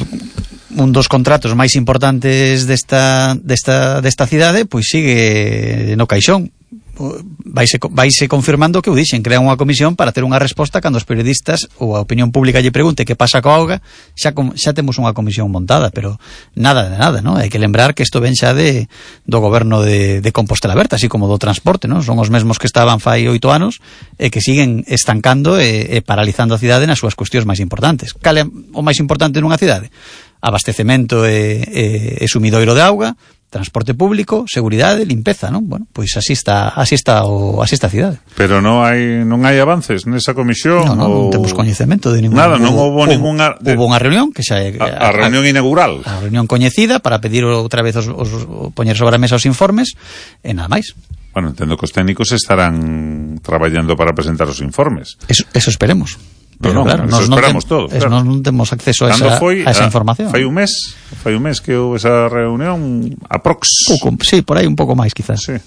un dos contratos máis importantes desta, desta, desta cidade, pois pues sigue no caixón. Vaise, vaise confirmando que o dixen, crean unha comisión para ter unha resposta cando os periodistas ou a opinión pública lle pregunte que pasa coa auga, xa, xa temos unha comisión montada, pero nada de nada, ¿no? Hai que lembrar que isto ven xa de, do goberno de, de Compostela Berta, así como do transporte, ¿no? Son os mesmos que estaban fai oito anos e que siguen estancando e, e paralizando a cidade nas súas cuestións máis importantes. Cal é o máis importante nunha cidade? Abastecemento e, e, e sumidoiro de auga, transporte público, seguridade, limpeza, non? Bueno, pois así está, así está o así está a cidade.
Pero non hai non hai avances nesa comisión?
Non, non,
ou...
non temos coñecemento de ningún...
Nada, non houbo ningunha...
De... Houbo unha reunión que xa é...
A, a reunión a, inaugural.
A reunión coñecida para pedir outra vez os, os, os poñer sobre a mesa os informes e nada máis.
Bueno, entendo que os técnicos estarán traballando para presentar os informes.
Eso, eso esperemos.
Pero,
pero
claro,
claro,
eso
nos
esperamos
non
todos.
Claro.
Claro.
Non temos acceso a esa,
foi,
a esa
a,
información.
Fai un mes, fai un mes que houve esa reunión aprox.
Pouco, sí, por aí un pouco máis, quizás.
Sí.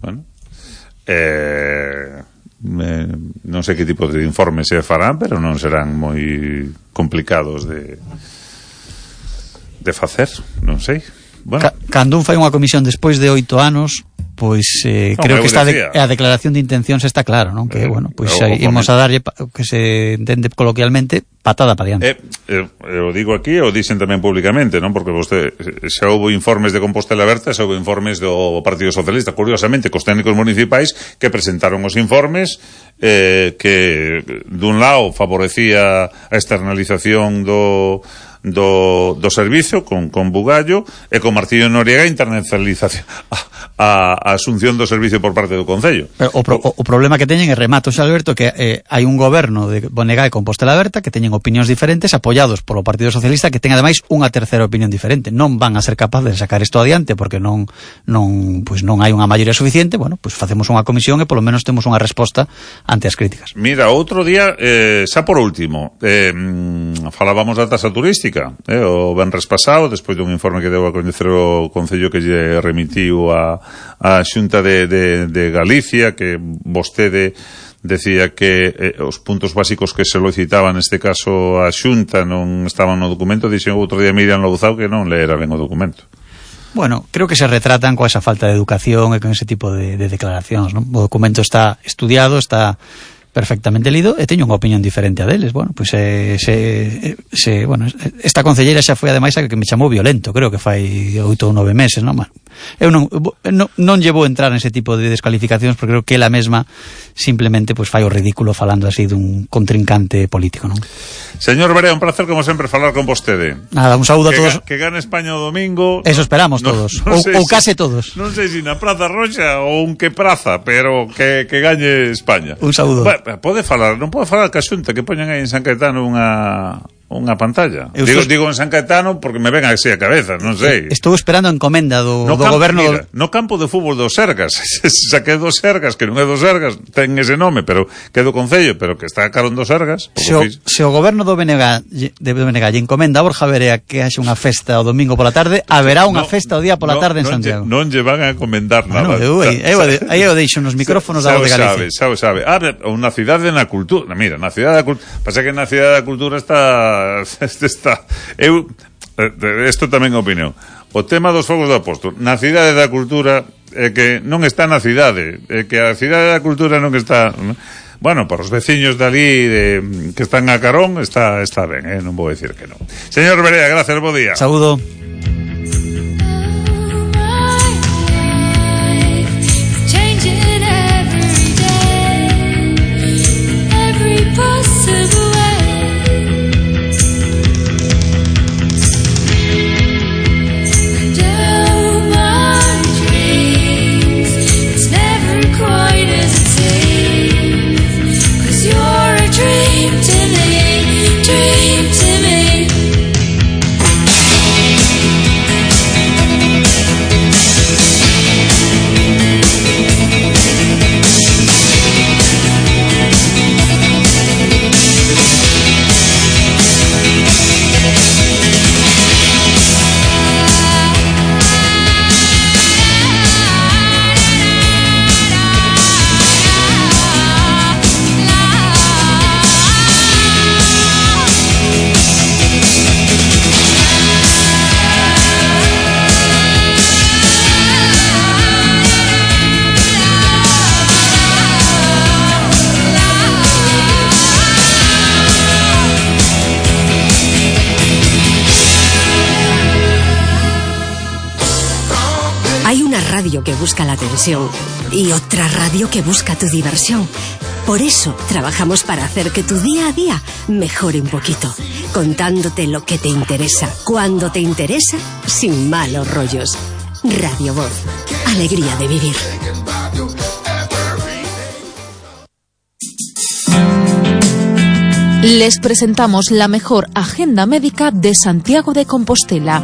Bueno. Eh, eh, non sei que tipo de informes se farán, pero non serán moi complicados de de facer, non sei. Bueno.
Ca, cando un fai unha comisión despois de oito anos, pois eh, no, creo que está de, a declaración de intencións está claro, non? Que, eh, bueno, pois aí imos a darlle, que se entende coloquialmente, patada para diante.
Eh, eh, eu digo aquí, o dicen tamén públicamente, non? Porque vostede, xa houve informes de Compostela Berta, xa houve informes do Partido Socialista, curiosamente, cos técnicos municipais que presentaron os informes eh, que, dun lado, favorecía a externalización do... do, do servicio con, con Bugallo e con Martillo Noriega internacionalización a, a asunción do servicio por parte do Concello.
Pero o, pro, o, o problema que teñen é, remato xa Alberto, que eh, hai un goberno de Bonega e Compostela Berta que teñen opinións diferentes apoiados polo Partido Socialista que ten ademais unha terceira opinión diferente. Non van a ser capaces de sacar isto adiante porque non non pois non hai unha maioría suficiente. Bueno, pois facemos unha comisión e polo menos temos unha resposta ante as críticas.
Mira, outro día eh, xa por último eh, falábamos da tasa turística. Eh, o venres pasado, despois dun informe que deu a coñecer o Concello que lle remitiu a, a Xunta de, de, de Galicia, que vostede decía que eh, os puntos básicos que se solicitaban neste caso a Xunta non estaban no documento. Dixen outro día Miriam Louzao que non leera ben o documento.
Bueno, creo que se retratan coa esa falta de educación e con ese tipo de, de declaracións, non? O documento está estudiado, está perfectamente lido e teño unha opinión diferente a deles. Bueno, pois pues, se, se, bueno, esta concelleira xa foi ademais a que me chamou violento, creo que fai oito ou nove meses, non? Bueno, eu non, non, non llevo a entrar nese tipo de descalificacións porque creo que ela mesma simplemente pues, fai o ridículo falando así dun contrincante político, non?
Señor Barea, un placer como sempre falar con vostede.
Nada, un saúdo
que
a todos.
Ga, que gane España o domingo.
Eso esperamos no, todos, no, no ou, ou case todos.
Non sei se na Praza Roxa ou un que praza, pero que, que gañe España.
Un saúdo.
Bueno, pode falar, non pode falar ca Xunta que poñan aí en San Caetano unha unha pantalla. Eu digo, estou... digo en San Caetano porque me ven así a cabeza, non sei.
Estou esperando a encomenda do,
no
do
campo,
goberno
mira, no campo de fútbol dos Sergas. Xa que é dos Sergas, que non é dos Sergas, ten ese nome, pero que é do Concello, pero que está a carón dos Sergas.
Se o, se o goberno do B N G de B N G lle encomenda a Borja Verea que haxe unha festa o domingo pola tarde, haberá unha no, festa o día pola tarde no, en Santiago.
Non lle van a encomendar nada.
Bueno, eu, eu, aí eu deixo nos micrófonos da Voz de Galicia.
Sabe, sabe, sabe. Ah, unha cidade na cultura. Mira, na cidade da cultura. Pasa que na cidade da cultura está está este está eu isto tamén é opinión. O tema dos fogos do Apóstol na cidade da cultura é que non está na cidade, é que a cidade da cultura non está, bueno, para os veciños dali de, que están a carón está está ben, eh? Non vou decir que non. Señor Berea, gracias, bo día.
Saúdo.
Hay una radio que busca la atención y otra radio que busca tu diversión. Por eso trabajamos para hacer que tu día a día mejore un poquito, contándote lo que te interesa, cuando te interesa, sin malos rollos. Radio Voz, alegría de vivir.
Les presentamos la mejor agenda médica de Santiago de Compostela.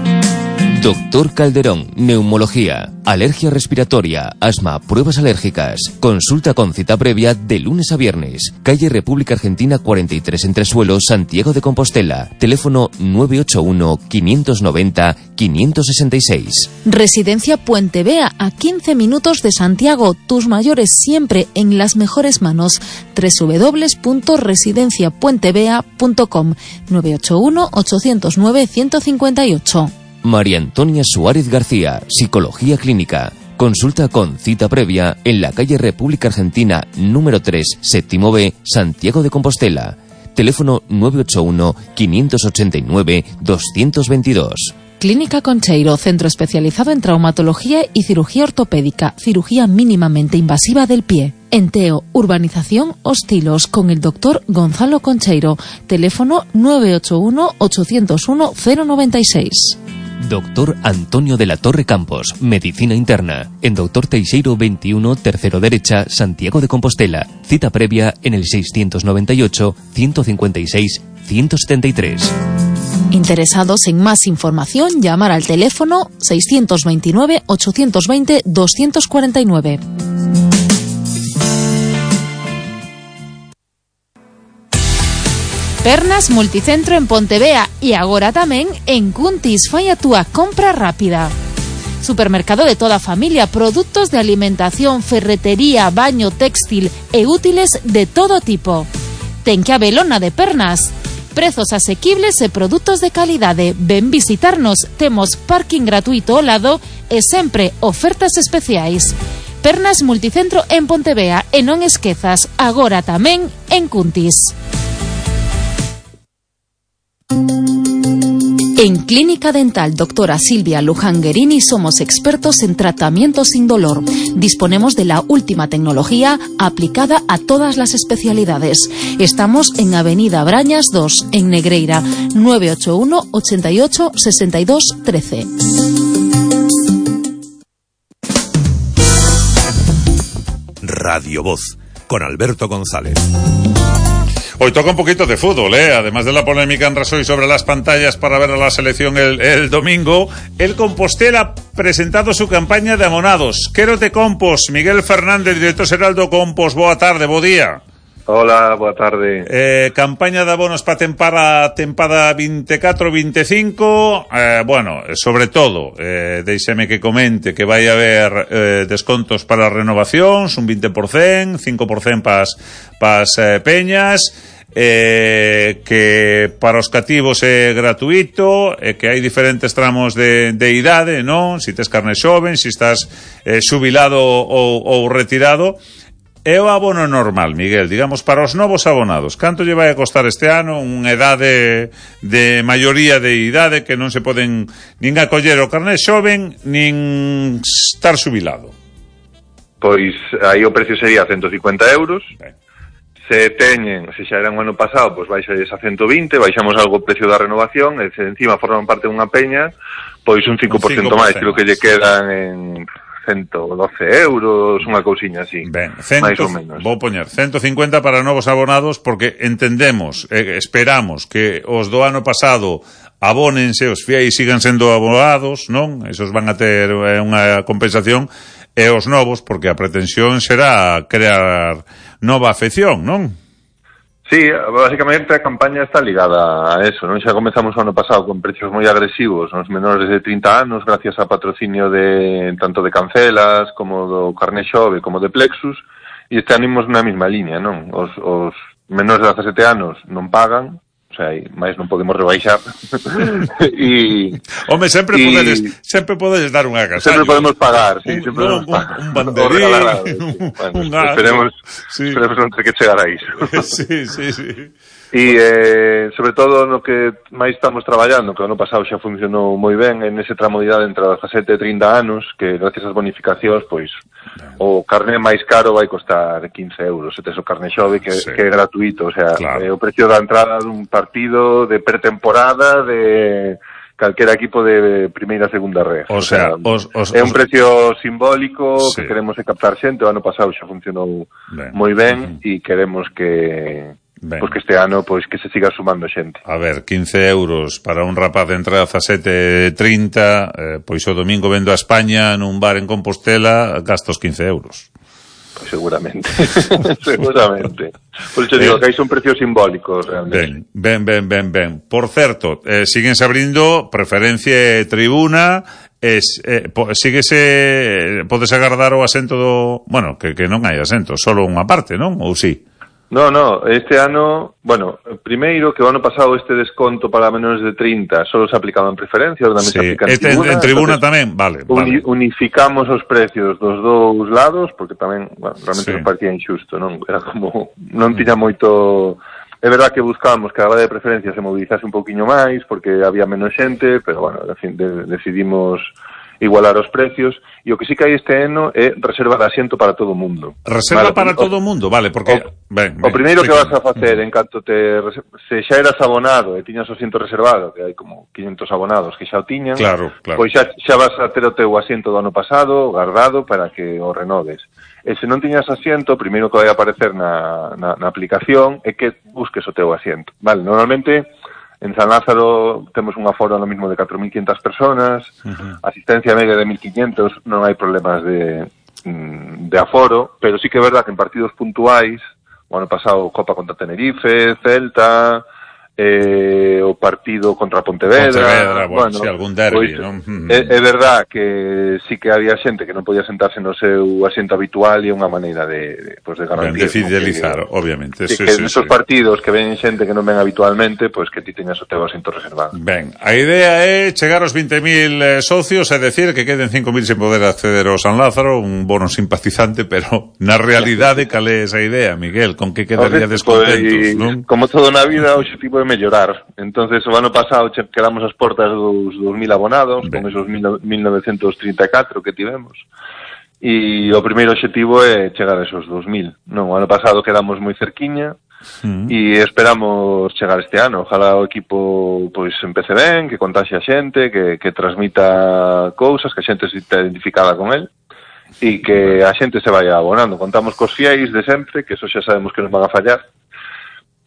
Doctor Calderón, neumología, alergia respiratoria, asma, pruebas alérgicas. Consulta con cita previa de lunes a viernes. Calle República Argentina cuarenta y tres en Tresuelo, Santiago de Compostela. Teléfono nueve ocho uno, quinientos noventa, quinientos sesenta y seis.
Residencia Puente Vea, a quince minutos de Santiago. Tus mayores siempre en las mejores manos. doble u doble u doble u punto residencia puente vea punto com. nueve ocho uno, ocho cero nueve, uno cinco ocho.
María Antonia Suárez García, Psicología Clínica. Consulta con cita previa en la calle República Argentina número tres, séptimo B, Santiago de Compostela. Teléfono nueve ocho uno, quinientos ochenta y nueve, doscientos veintidós.
Clínica Concheiro, centro especializado en traumatología y cirugía ortopédica, cirugía mínimamente invasiva del pie. Enteo, urbanización Hostilos, con el doctor Gonzalo Concheiro. Teléfono nueve ocho uno, ocho cero uno, cero nueve seis.
Doctor Antonio de la Torre Campos, Medicina Interna, en Doctor Teixeiro veintiuno, tercero derecha, Santiago de Compostela. Cita previa en el seiscientos noventa y ocho, ciento cincuenta y seis, ciento setenta y tres.
Interesados en más información, llamar al teléfono seiscientos veintinueve, ochocientos veinte, doscientos cuarenta y nueve. Pernas Multicentro en Pontevea y agora tamén en Cuntis. Fai a túa compra rápida. Supermercado de toda familia, productos de alimentación, ferretería, baño, textil e útiles de todo tipo. Ten que habelona de Pernas. Prezos asequibles e produtos de calidade. Ven visitarnos, temos parking gratuito ao lado e sempre ofertas especiais. Pernas Multicentro en Pontevea e non esquezas, agora tamén en Cuntis. En Clínica Dental Doctora Silvia Luján Guerini somos expertos en tratamiento sin dolor. Disponemos de la última tecnología aplicada a todas las especialidades. Estamos en Avenida Brañas dos, en Negreira, nueve ocho uno, ochenta y ocho, sesenta y dos, trece.
Radio Voz, con Alberto González.
Hoy toca un poquito de fútbol, ¿eh? Además de la polémica en Rasoy sobre las pantallas para ver a la selección el, el domingo, el Compostela ha presentado su campaña de abonados. Quero te Compos, Miguel Fernández, director xeral do Compos. Boa tarde, bo día.
Hola, boa tarde.
Eh, campaña de abonos para tempada, tempada veinticuatro veinticinco. Eh, bueno, sobre todo, eh, déixeme que comente que vai haber eh, descontos para renovacións, un veinte por ciento, cinco por ciento pas, pas eh, peñas. eh, que para os cativos é gratuito, e que hai diferentes tramos de, de idade, non? Si tes carne xoven, si estás eh, xubilado ou, ou retirado. É o abono normal, Miguel, digamos, para os novos abonados. Canto lle vai a costar este ano unha edade de maioría de idade que non se poden nin acoller o carné xoven nin estar xubilado?
Pois aí o precio sería ciento cincuenta euros. Ben. Se teñen, se xa era un ano pasado, pois baixades a ciento vinte, baixamos algo o precio da renovación, e se encima forman parte dunha peña, pois un cinco por cento máis, creo que lle quedan en ciento doce euros, unha cousiña así.
Ben, cento, máis ou menos. Vou poñer ciento cincuenta para novos abonados, porque entendemos, eh, esperamos que os do ano pasado abónense, os fiéis sigan sendo abonados, non? Esos van a ter eh, unha compensación, e os novos, porque a pretensión será crear nova afección, non?
Sí, basicamente a campaña está ligada a eso, non? Xa comezamos o ano pasado con precios moi agresivos nos menores de trinta anos, gracias a patrocinio de tanto de Cancelas, como do Carné Xove, como de Plexus, e este animos na mesma línea, non? Os, os menores de dezasete anos non pagan, o sea, máis non podemos rebaixar. E
home, sempre y... podedes, sempre podedes dar un agasallo.
Sempre podemos pagar, sí, un, sempre
no,
podemos pagar.
Un, un banderín,
regalado, sí. Bueno, un esperemos, sí. esperemos non ter que chegar a iso.
Sí, sí, sí.
E, eh, sobre todo, no que máis estamos traballando, que o ano pasado xa funcionou moi ben, en ese tramo de idade entre dezasete e trinta anos, que gracias ás bonificacións, pois, ben, o carné máis caro vai costar quince euros, se tes o carné xove, que, sí. que é gratuito, o sea, claro. é o precio da entrada dun partido de pretemporada de calquera equipo de primeira, segunda red.
O sea, o sea os, os,
é un precio simbólico, sí. que queremos captar xente, o ano pasado xa funcionou ben. moi ben, e uh-huh. queremos que... Ben. Pois que este ano, pois que se siga sumando xente.
A ver, quince euros para un rapaz de entre dezasete e trinta, eh, pois o domingo vendo a España nun bar en Compostela, gastos quince euros.
Pois seguramente, seguramente. Por iso digo eh, que hai son precios simbólicos, realmente.
Ben, ben, ben, ben, ben. Por certo, eh, síguense abrindo preferencia e tribuna, es, eh, po, síguese, podes agardar o asento do... Bueno, que, que non hai asento, solo unha parte, non? Ou sí?
No, no, este ano, bueno, primeiro que o ano pasado este desconto para menores de trinta solo se aplicaba en preferencia, ahora tamén
sí.
se aplica en
este
tribuna.
En tribuna tamén, vale,
uni,
vale.
Unificamos os precios dos dous lados, porque tamén, bueno, realmente sí. non parecía injusto, non? Era como, non tiña moito... É verdad que buscábamos que a base de preferencia se movilizase un pouquiño máis, porque había menos xente, pero, bueno, en fin, de, decidimos igualar os precios, e o que sí que hai este ano é reserva de asiento para todo o mundo.
Reserva vale, para o, todo o mundo, vale, porque...
O,
ben,
o
ben,
primeiro que vas a facer, en canto te... Se xa eras abonado e tiñas o asiento reservado, que hai como quinhentos abonados que xa o tiñan,
claro, claro.
pois xa, xa vas a ter o teu asiento do ano pasado, guardado, para que o renoves. E se non tiñas asiento, o primeiro que vai a aparecer na, na, na aplicación é que busques o teu asiento. Vale, normalmente... En San Lázaro temos un aforo no mismo de catro mil quinhentas personas, uh-huh. asistencia media de mil quinhentos, non hai problemas de, de aforo, pero sí que é verdad que en partidos puntuais, o ano pasado Copa contra Tenerife, Celta, eh, o partido contra Pontevedra,
Pontevedra bueno,
bueno,
si algún derbi,
pois,
non?
É, é verdad que sí que había xente que non podía sentarse no seu asiento habitual e unha maneira de, de, pues de garantir.
De fidelizar,
que,
obviamente.
Sí,
sí,
que
sí,
nesos
sí.
partidos que ven xente que non ven habitualmente, pois pues que ti teñas o teu asiento reservado.
Ben, a idea é chegar aos vinte mil eh, socios, é decir, que queden cinco mil sen poder acceder ao San Lázaro, un bono simpatizante, pero na realidade cal é esa idea, Miguel? Con que quedaría descontentos, non?
Como todo na vida, o objetivo é mellorar. Entonces, o ano pasado quedamos as portas dos dos mil abonados, ben. Con esos mil novecentos trinta e catro que tivemos. E o primeiro objetivo é chegar a esos dos mil. Non, o ano pasado quedamos moi cerquiña, mm. e esperamos chegar este ano. Ojalá o equipo pois empece ben, que contaxe a xente, que, que transmita cousas, que a xente se está identificada con el, e que a xente se vaya abonando. Contamos cos fiéis de sempre, que eso xa sabemos que nos van a fallar,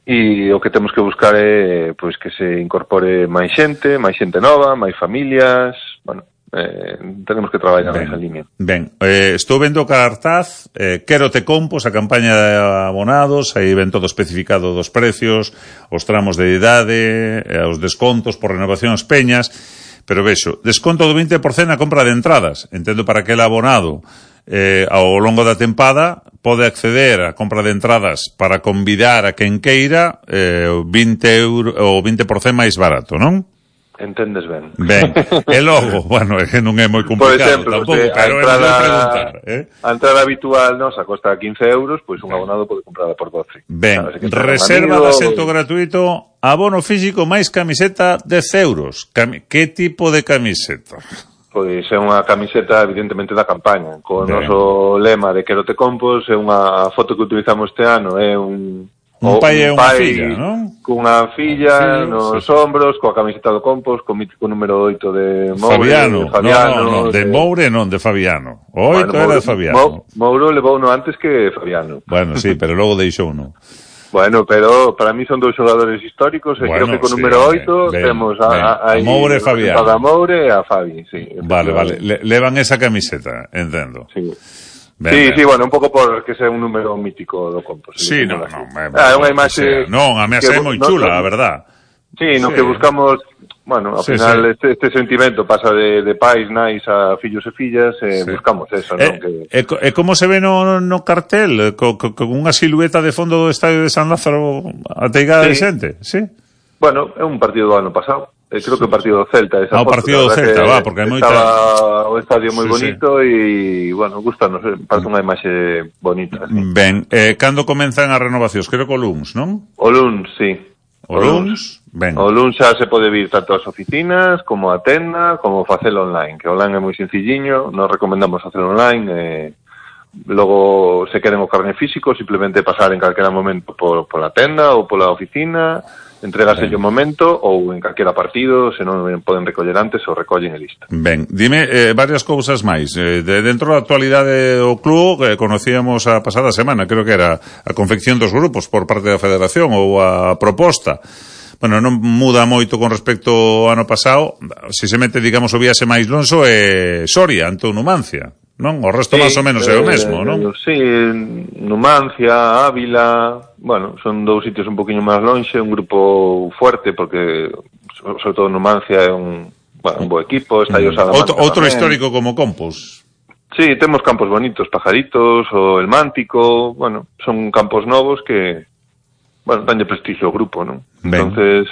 e o que temos que buscar é pois que se incorpore máis xente, máis xente nova, máis familias, bueno, eh, tenemos que traballar nesa línea.
Ben, eh, estou vendo o cartaz, eh, Quero te compos, a campaña de abonados, aí ven todo especificado dos precios, os tramos de idade, eh, os descontos por renovación ás peñas, pero vexo, desconto do vinte por cento na compra de entradas, entendo para aquel abonado eh, ao longo da tempada pode acceder á compra de entradas para convidar a quen queira eh, vinte euros, o vinte por cento máis barato, non?
Entendes ben.
Ben, e logo, bueno, é que non é moi complicado, por exemplo, tampouco, se, pero entrada, é preguntar, eh?
A entrada habitual nosa costa quince euros, pois un abonado pode comprarla por doce.
Ben, reserva de asento gratuito, abono físico máis camiseta dez euros. Cam... Que tipo de camiseta?
Pois é unha camiseta evidentemente da campaña, co noso lema de Quero te compos, é unha foto que utilizamos este ano, é un
Un pai e unha filla, non?
Cunha filla sí, nos sí. ombros, coa camiseta do Compos, co mítico número oito de Moure.
Fabiano,
de Fabiano,
no, no, no, de, de Moure non, de Fabiano. O oito bueno, era de Fabiano.
Mo, Mouro levou uno antes que Fabiano.
Bueno, sí, pero logo deixou uno.
Bueno, pero para mí son dous xogadores históricos, e bueno, creo que co sí, número oito ben, temos a, a, a, a
Moure e Fabiano.
A Moure e a Fabi, sí.
Vale, vale, Le, levan esa camiseta, entendo.
Sí. Ben, sí, ben. sí, bueno, un pouco por que sea un número mítico do Compos.
Sí, no, no, me,
ah, é unha imaxe...
Non, a mí é moi chula, no, a verdad.
Sí, no sí. que buscamos, bueno, ao sí, final sí. Este, este sentimento pasa de, de pais, nais a fillos e fillas, e sí. buscamos eso,
eh,
non? Que...
E, e como se ve no, no cartel? Con co, co unha silueta de fondo do estadio de San Lázaro ateigada sí. de xente, sí?
Bueno, é un partido do ano pasado. Eh, creo que o partido do Celta, esa
ah, o partido do Celta, va, porque hai moita...
Estaba o estadio moi sí, bonito e, sí. bueno, gustanos, parece unha imaxe bonita. Sí.
Ben, eh, cando comenzan as renovacións? Creo que o luns, non?
O luns, sí.
O, o luns, ben.
O luns xa se pode vir tanto ás oficinas, como a tenda, como facelo online, que online é moi sencilliño, nos recomendamos facelo online, eh, logo se queren o carné físico, simplemente pasar en calquera momento por, por a tenda ou pola oficina, entregase o momento ou en calquera partido, se non poden recoller antes ou recollen e listo.
Ben, dime eh, varias cousas máis. Eh, de dentro da actualidade do club, eh, conocíamos a pasada semana, creo que era a confección dos grupos por parte da Federación ou a proposta. Bueno, non muda moito con respecto ao ano pasado, se se mete, digamos, o viaxe máis lonxo é Soria, ante o Numancia, non? O resto sí, máis ou menos é o mesmo, non?
Sí, Numancia, Ávila... Bueno, son dous sitios un poquinho máis lonxe, un grupo fuerte, porque sobre todo Numancia é un, bueno, un bo equipo, está aí o Salamanca.
Outro, outro histórico como Compos.
Sí, temos campos bonitos, Pajaritos, o El Mántico, bueno, son campos novos que, bueno, dan de prestigio ao grupo, non? Ben. Entonces,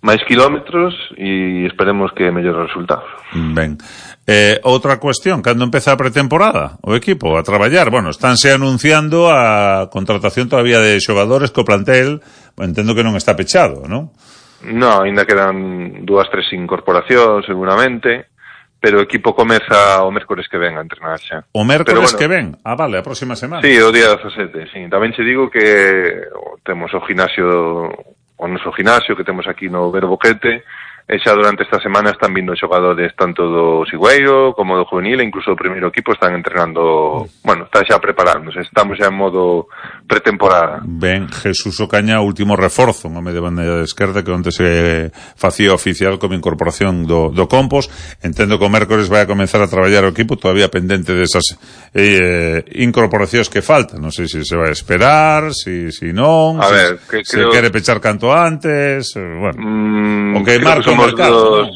máis kilómetros e esperemos que mellores resultados.
Ben. Eh, outra cuestión, cando empeza a pretemporada o equipo a traballar? Bueno, estánse anunciando a contratación todavía de xogadores co plantel, bueno, entendo que non está pechado, non?
No, ainda quedan dúas, tres incorporacións seguramente, pero o equipo comeza o mércores que ven a entrenar xa.
O mércores bueno, que ven? Ah, vale, a próxima semana.
Sí, o día dezasete, sí. Tamén che digo que temos o ginasio, o noso ginasio que temos aquí no Verboquete, e xa durante esta semana están vindo xogadores tanto do Sigüeiro como do juvenil, e incluso o primeiro equipo están entrenando, bueno, están xa preparándose, estamos xa en modo pretemporada.
Ben, Jesús Ocaña, último reforzo, un home de banda de esquerda que onte se facía oficial como incorporación do, do Compos. Entendo que o mércores vai a comenzar a traballar o equipo, todavía pendente desas eh, incorporacións que faltan, non sei se se vai a esperar, si, si non,
a
si,
ver, que
se
creo...
quere pechar canto antes, bueno,
mm,
o que marca o mercado,
dos... ¿no?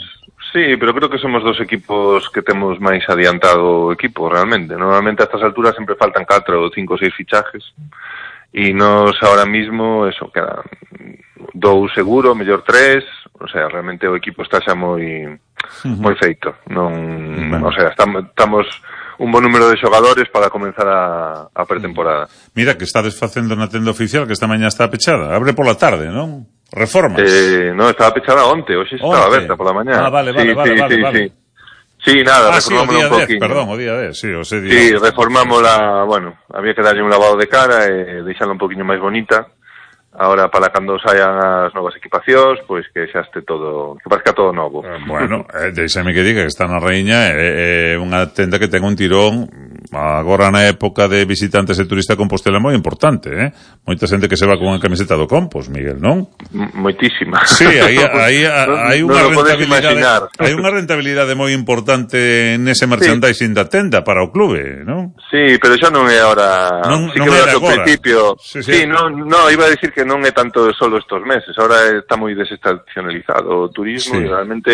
Sí, pero creo que somos dos equipos que temos máis adiantado o equipo, realmente. Normalmente a estas alturas sempre faltan catro ou cinco ou seis fichajes, e nos ahora mismo, eso, quedan dous seguro, mellor tres, o sea, realmente o equipo está xa moi uh-huh. moi feito. Non, bueno. O sea, estamos, estamos un bon número de xogadores para comenzar a, a pretemporada.
Mira, que estades facendo na tenda oficial, que esta mañá está pechada. Abre pola tarde, non? Reformas?
Eh, no, estaba pechada onte, hoxe estaba aberta pola mañá.
Ah, vale, vale,
sí,
vale,
sí,
vale,
sí,
vale.
Sí. Sí, nada,
ah,
reformámosla
sí,
un poquinho.
Perdón, o día dez, sí, o sea, día
Sí, reformámosla, bueno, había que darlle un lavado de cara e deixarla un poquinho máis bonita. Ahora, para cando saian as novas equipacións, pois que xa este todo, que parezca todo novo.
Eh, bueno, eh, deixame que diga que está na Raíña, é eh, eh, unha tenda que ten un tirón agora na época de visitantes e turista Compostela moi importante, eh? Moita xente que se va con unha camiseta do Compos, Miguel, non?
M moitísima.
Sí, aí hai hai
no,
unha
no
rentabilidade, hai unha rentabilidade moi importante nese merchandising sí. da tenda para o clube, non?
Sí, pero xa non é ahora,
non,
sí
non
que
é
ao principio.
Sí, sí.
sí no, no, iba a decir que non é tanto solo estos meses, ahora está moi desestacionalizado o turismo, sí. E realmente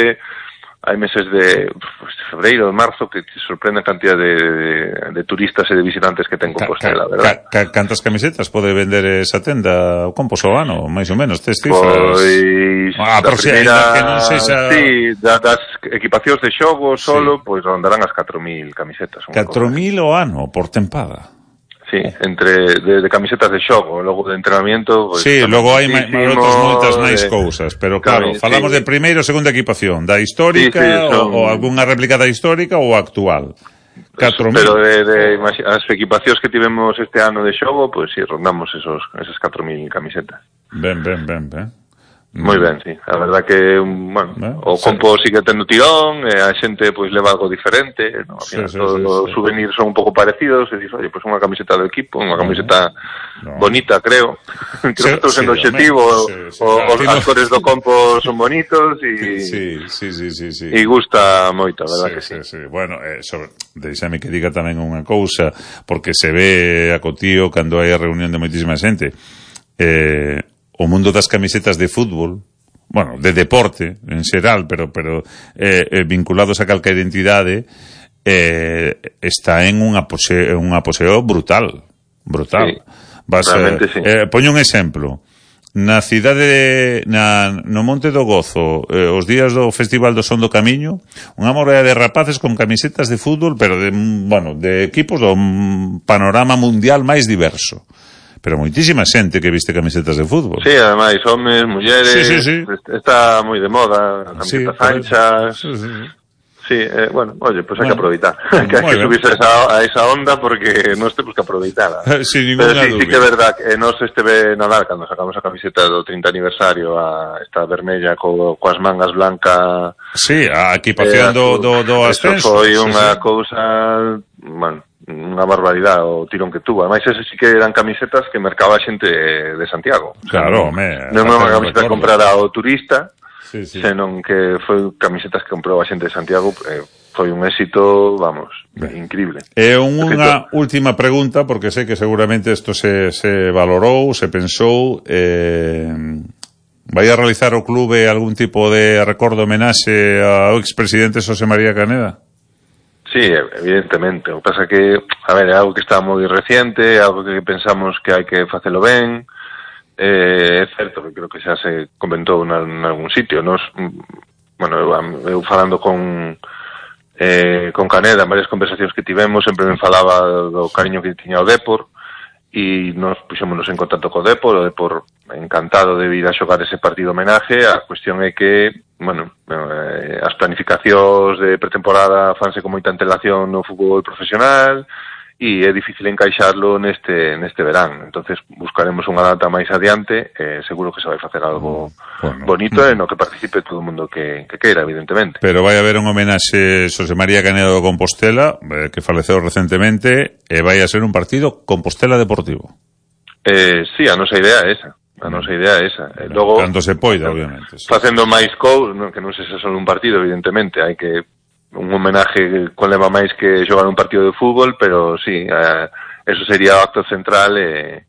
hai meses de pues, febreiro, de marzo, que te sorprende a cantidad de, de, de turistas e de visitantes que ten Compostela,
ca,
verdad?
Ca, ca, cantas camisetas pode vender esa tenda o Compos o ano, máis ou menos, tes cifras?
Pois,
ah,
a primeira,
que non sexa...
sí, da, das equipacións de xogo solo, sí. Pois rondarán as catro mil camisetas.
catro mil o ano, por tempada?
Sí, entre de, de camisetas de xogo, logo de entrenamiento... Pues,
sí, logo hai outras moitas máis de... cousas, pero claro,
Cami,
falamos
sí.
de primeiro ou segunda equipación, da histórica sí, sí, son... ou, ou algunha réplica da histórica ou actual. catro mil.
Pero de, de as equipacións que tivemos este ano de xogo, pois pues, si sí, rondamos esos esas catro mil camisetas.
Ben, ben, ben, ben.
Moi ben, sí. A verdad que, bueno, ¿Eh? o Compo sí. sigue tendo tirón, e a xente pois leva algo diferente, ¿no? Sí, sí, todos sí, os sí. souvenirs son un pouco parecidos, e dices, oye, pois unha camiseta do equipo, unha camiseta no. bonita, creo. creo sí, que estou sendo sí, objetivo, sí, sí, o, sí, os cores do Compo son bonitos, e
sí, sí, sí, sí, sí.
e gusta moito, a verdad
sí,
que sí.
sí, sí. Bueno, eh, sobre, deixame que diga tamén unha cousa, porque se ve a cotío cando hai a reunión de moitísima xente. Eh... O mundo das camisetas de fútbol, bueno, de deporte en xeral, pero pero eh, eh, vinculados a calquera identidade, eh, está en un apogeo, un apogeo brutal, brutal.
Sí,
Vas,
realmente sí.
eh, poño un exemplo. Na cidade de, na, no Monte do Gozo, eh, os días do Festival do Son do Camiño, unha morea de rapaces con camisetas de fútbol, pero de, bueno, de equipos do panorama mundial máis diverso. Pero moitísima xente que viste camisetas de fútbol.
Sí, ademais, homes, mulleres,
sí, sí, sí.
Está moi de moda, camisetas sí, anchas.
Sí, sí, sí.
Sí, eh, bueno, oye, pues bueno, hay que aproveitar. que hay que subirse a esa, a esa onda porque non temos que aproveitarla.
Sin ninguna
Pero sí,
dúbida.
sí que é verdad que nos esteve Nadal cando sacamos a camiseta do trinta aniversario, a esta vermella co, coas mangas blancas.
Sí, a equipación eh, do, do, do ascenso.
Eso foi unha
sí, sí.
cousa, bueno, unha barbaridade o tirón que tuvo. Ademais, ese sí que eran camisetas que mercaba a xente de Santiago.
Claro,
o sea,
me,
non é unha camiseta que comprara o turista,
sí, sí.
senón que foi camisetas que comprou a xente de Santiago. eh, foi un éxito, vamos, ben, increíble.
E unha última pregunta, porque sei que seguramente isto se, se valorou, se pensou, eh, vai a realizar o clube algún tipo de recordo homenaxe ao expresidente Xosé María Caneda?
Sí, evidentemente. O que pasa que, a ver, é algo que está moi reciente, é algo que pensamos que hai que facelo ben. Eh, é certo que creo que xa se comentou en algún sitio. Nos, bueno, eu, eu falando con eh, con Caneda en varias conversacións que tivemos, sempre me falaba do cariño que tiña o Depor, e nos puxémonos en contacto co Depor, o Depor encantado de vir a xogar ese partido homenaje. A cuestión é que, bueno, eh, as planificacións de pretemporada fanse con moita antelación no fútbol profesional e é difícil encaixarlo neste neste verán. Entonces buscaremos unha data máis adiante, eh, seguro que se vai facer algo bueno, bonito e no que participe todo o mundo que, que queira, evidentemente.
Pero vai haber un homenaxe Xosé María Canedo de Compostela, eh, que faleceu recentemente, e vai a ser un partido Compostela Deportivo.
Eh, sí, a nosa idea é esa. A nosa idea é esa. Eh, logo,
cando se poida, obviamente. Sí.
Facendo máis cousas, non, que non se xa só un partido, evidentemente, hai que un homenaje conleva máis que xogar un partido de fútbol, pero sí, eh, eso sería o acto central e,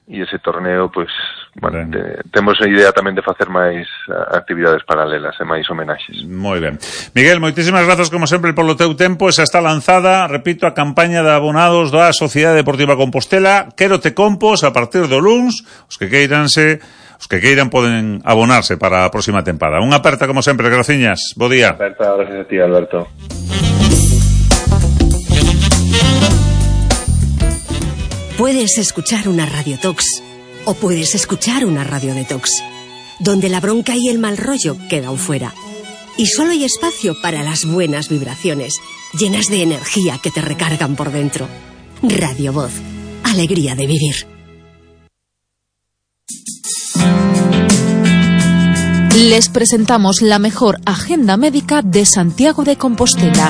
e ese torneo, pois, bueno, te, temos a idea tamén de facer máis actividades paralelas e máis homenaxes.
Moi ben. Miguel, moitísimas grazas como sempre polo teu tempo. Esa está lanzada, repito, a campaña de abonados da Sociedade Deportiva Compostela. Quérote Compos a partir do luns, os que queiranse Os que queiran poden abonarse para a próxima tempada. Unha aperta como sempre, graciñas. Bo día.
Aperta, gracias a ti, Alberto.
Puedes escuchar una Radio Tox o puedes escuchar una Radio Detox, donde la bronca y el mal rollo quedan fuera. Y solo hay espacio para las buenas vibraciones, llenas de energía que te recargan por dentro. Radio Voz. Alegría de vivir.
Les presentamos la mejor agenda médica de Santiago de Compostela.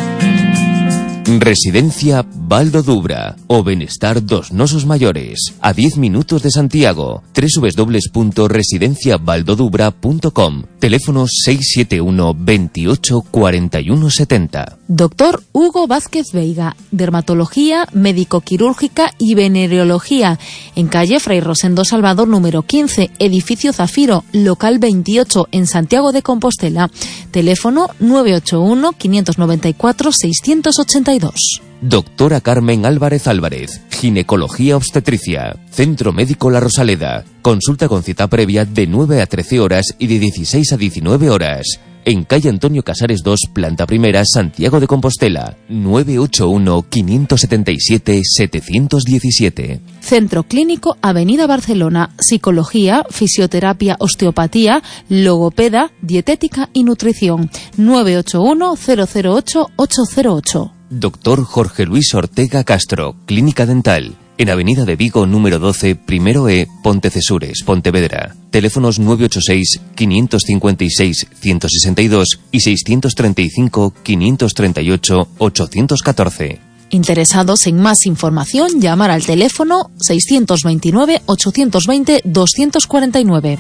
Residencia Valdo Dubra, o benestar dos nosos maiores, a diez minutos de Santiago. doble u doble u doble u punto residencia valdo dubra punto com. Teléfono seis siete uno, veintiocho, cuarenta y uno setenta.
Doctor Hugo Vázquez Veiga, dermatología, médico-quirúrgica y venereología, en calle Fray Rosendo Salvador número quince, edificio Zafiro, local veintiocho, en Santiago de Compostela. Teléfono nueve ocho uno, quinientos noventa y cuatro, seiscientos ochenta y dos.
Doctora Carmen Álvarez Álvarez, ginecología obstetricia, Centro Médico La Rosaleda. Consulta con cita previa de nueve a trece horas y de dieciséis a diecinueve horas. En calle Antonio Casares dos, planta primera, Santiago de Compostela. nueve ocho uno, quinientos setenta y siete, setecientos diecisiete.
Centro Clínico Avenida Barcelona, psicología, fisioterapia, osteopatía, logopeda, dietética y nutrición. nueve ocho uno, cero cero ocho, ocho cero ocho.
Doctor Jorge Luis Ortega Castro, Clínica Dental, en Avenida de Vigo número doce, primero E, Pontecesures, Pontevedra. Teléfonos nueve ocho seis, quinientos cincuenta y seis, ciento sesenta y dos y seiscientos treinta y cinco, quinientos treinta y ocho, ochocientos catorce.
Interesados en más información, llamar al teléfono seiscientos veintinueve, ochocientos veinte, doscientos cuarenta y nueve.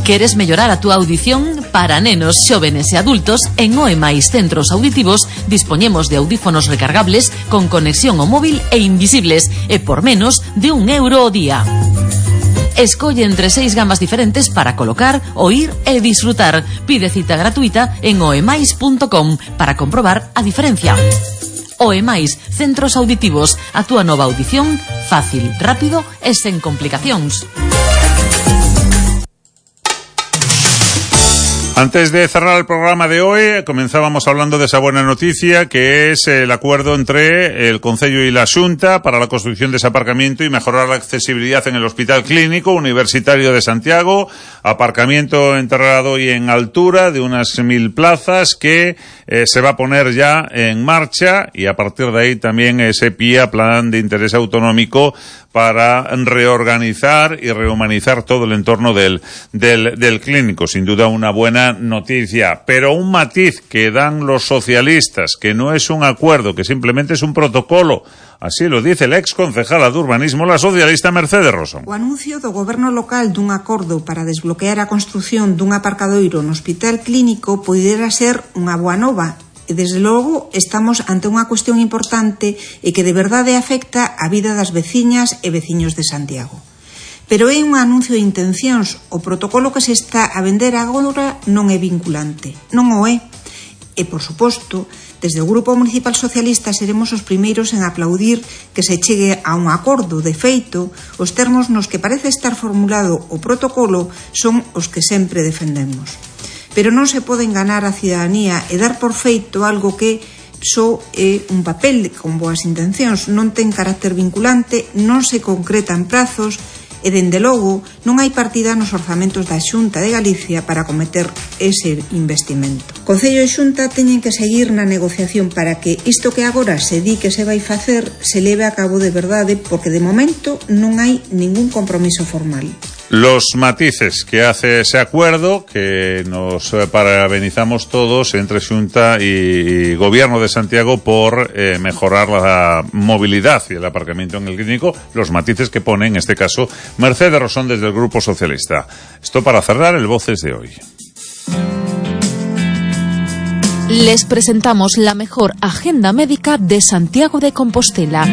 Queres mellorar a túa audición? Para nenos, xóvenes e adultos, en Oe Mais Centros Auditivos dispoñemos de audífonos recargables con conexión ao móvil e invisibles, e por menos de un euro ao día. Escolle entre seis gamas diferentes para colocar, oír e disfrutar. Pide cita gratuita en oemais punto com para comprobar a diferencia. Oe Mais Centros Auditivos, a túa nova audición fácil, rápido e sen complicacións.
Antes de cerrar el programa de hoy, comenzábamos hablando de esa buena noticia, que es el acuerdo entre el Concello y la Xunta para la construcción de ese aparcamiento y mejorar la accesibilidad en el Hospital Clínico Universitario de Santiago. Aparcamiento en terrado y en altura de unas mil plazas que eh, se va a poner ya en marcha, y a partir de ahí también ese P I A, Plan de Interés Autonómico, para reorganizar y rehumanizar todo el entorno del, del, del clínico. Sin duda una buena noticia, pero un matiz que dan los socialistas, que no es un acuerdo, que simplemente es un protocolo. Así lo dice la ex concejala de urbanismo, la socialista Mercedes Rosón.
O anuncio do goberno local dun acordo para desbloquear a construción dun aparcadoiro no Hospital Clínico poidera ser unha boa nova. E, desde logo, estamos ante unha cuestión importante e que de verdade afecta a vida das veciñas e veciños de Santiago. Pero é un anuncio de intencións. O protocolo que se está a vender agora non é vinculante. Non o é. E, por suposto, desde o Grupo Municipal Socialista seremos os primeiros en aplaudir que se chegue a un acordo. De feito, os termos nos que parece estar formulado o protocolo son os que sempre defendemos. Pero non se pode enganar a cidadanía e dar por feito algo que só é un papel con boas intencións, non ten carácter vinculante, non se concretan prazos e, dende logo, non hai partida nos orzamentos da Xunta de Galicia para cometer ese investimento. Concello e Xunta teñen que seguir na negociación para que isto que agora se di que se vai facer se leve a cabo de verdade, porque de momento non hai ningún compromiso formal.
Los matices que hace ese acuerdo, que nos parabenizamos todos entre Xunta y Gobierno de Santiago por eh, mejorar la movilidad y el aparcamiento en el clínico, los matices que pone en este caso Mercedes Rosón desde el Grupo Socialista. Esto para cerrar el Voces de hoy.
Les presentamos la mejor agenda médica de Santiago de Compostela.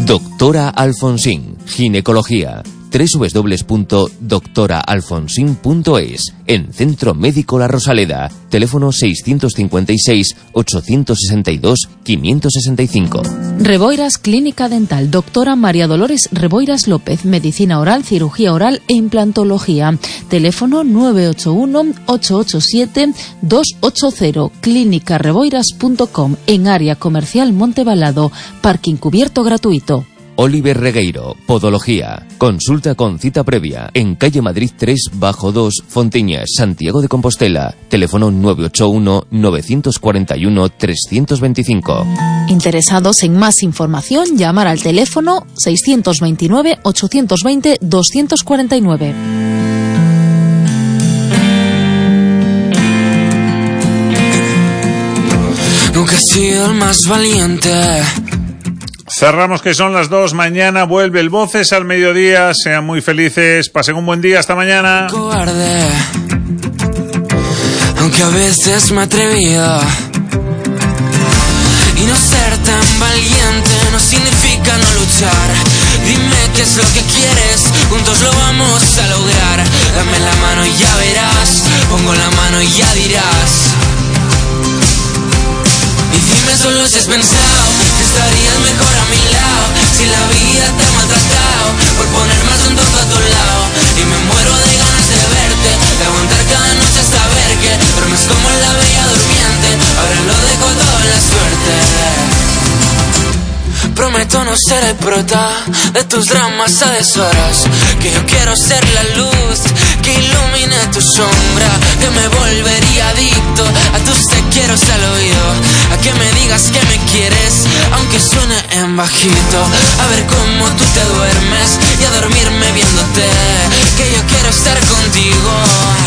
Doctora Alfonsín, ginecología. doble u doble u doble u punto doctora alfonsín punto es. En Centro Médico La Rosaleda. Teléfono seiscientos cincuenta y seis, ochocientos sesenta y dos, quinientos sesenta y cinco.
Reboiras Clínica Dental. Doctora María Dolores Reboiras López. Medicina oral, cirugía oral e implantología. Teléfono nueve ocho uno, ocho ocho siete, dos ocho cero. clínica reboiras punto com. En área comercial Montebalado. Parking cubierto gratuito.
Oliver Regueiro, Podología. Consulta con cita previa en calle Madrid tres bajo dos, Fonteñas, Santiago de Compostela. Teléfono nueve ocho uno, nueve cuatro uno, tres dos cinco.
Interesados en más información, llamar al teléfono seiscientos veintinueve, ochocientos veinte, doscientos cuarenta y nueve.
sido el más valiente.
Cerramos que son las dos, mañana vuelve el Voces al mediodía, sean muy felices, pasen un buen día, hasta mañana.
Cobarde, aunque a veces me he atrevido. Y no ser tan valiente no significa no luchar. Dime qué es lo que quieres, juntos lo vamos a lograr. Dame la mano y ya verás, pongo la mano y ya dirás. Y dime solo si has pensado que estarías mejor a mi lado. Si la vida te ha maltratado por poner más un tonto a tu lado. Y me muero de ganas de verte, de aguantar cada noche hasta ver que duermes como la bella durmiente. Ahora lo dejo todo en la suerte. Prometo no ser el prota de tus dramas a deshoras. Que yo quiero ser la luz que ilumine tu sombra. Que me volvería adicto a tus te quiero al oído. A que me digas que me quieres, aunque suene en bajito. A ver cómo tú te duermes y a dormirme viéndote. Que yo quiero estar contigo.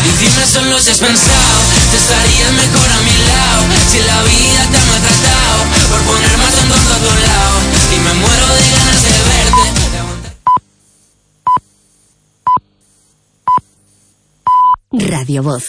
Y dime solo si has pensado que estarías mejor a mi lado. Si la vida te ha maltratado por poner más un tonto a tu lado. Y me muero de ganas de verte.
Radio Voz,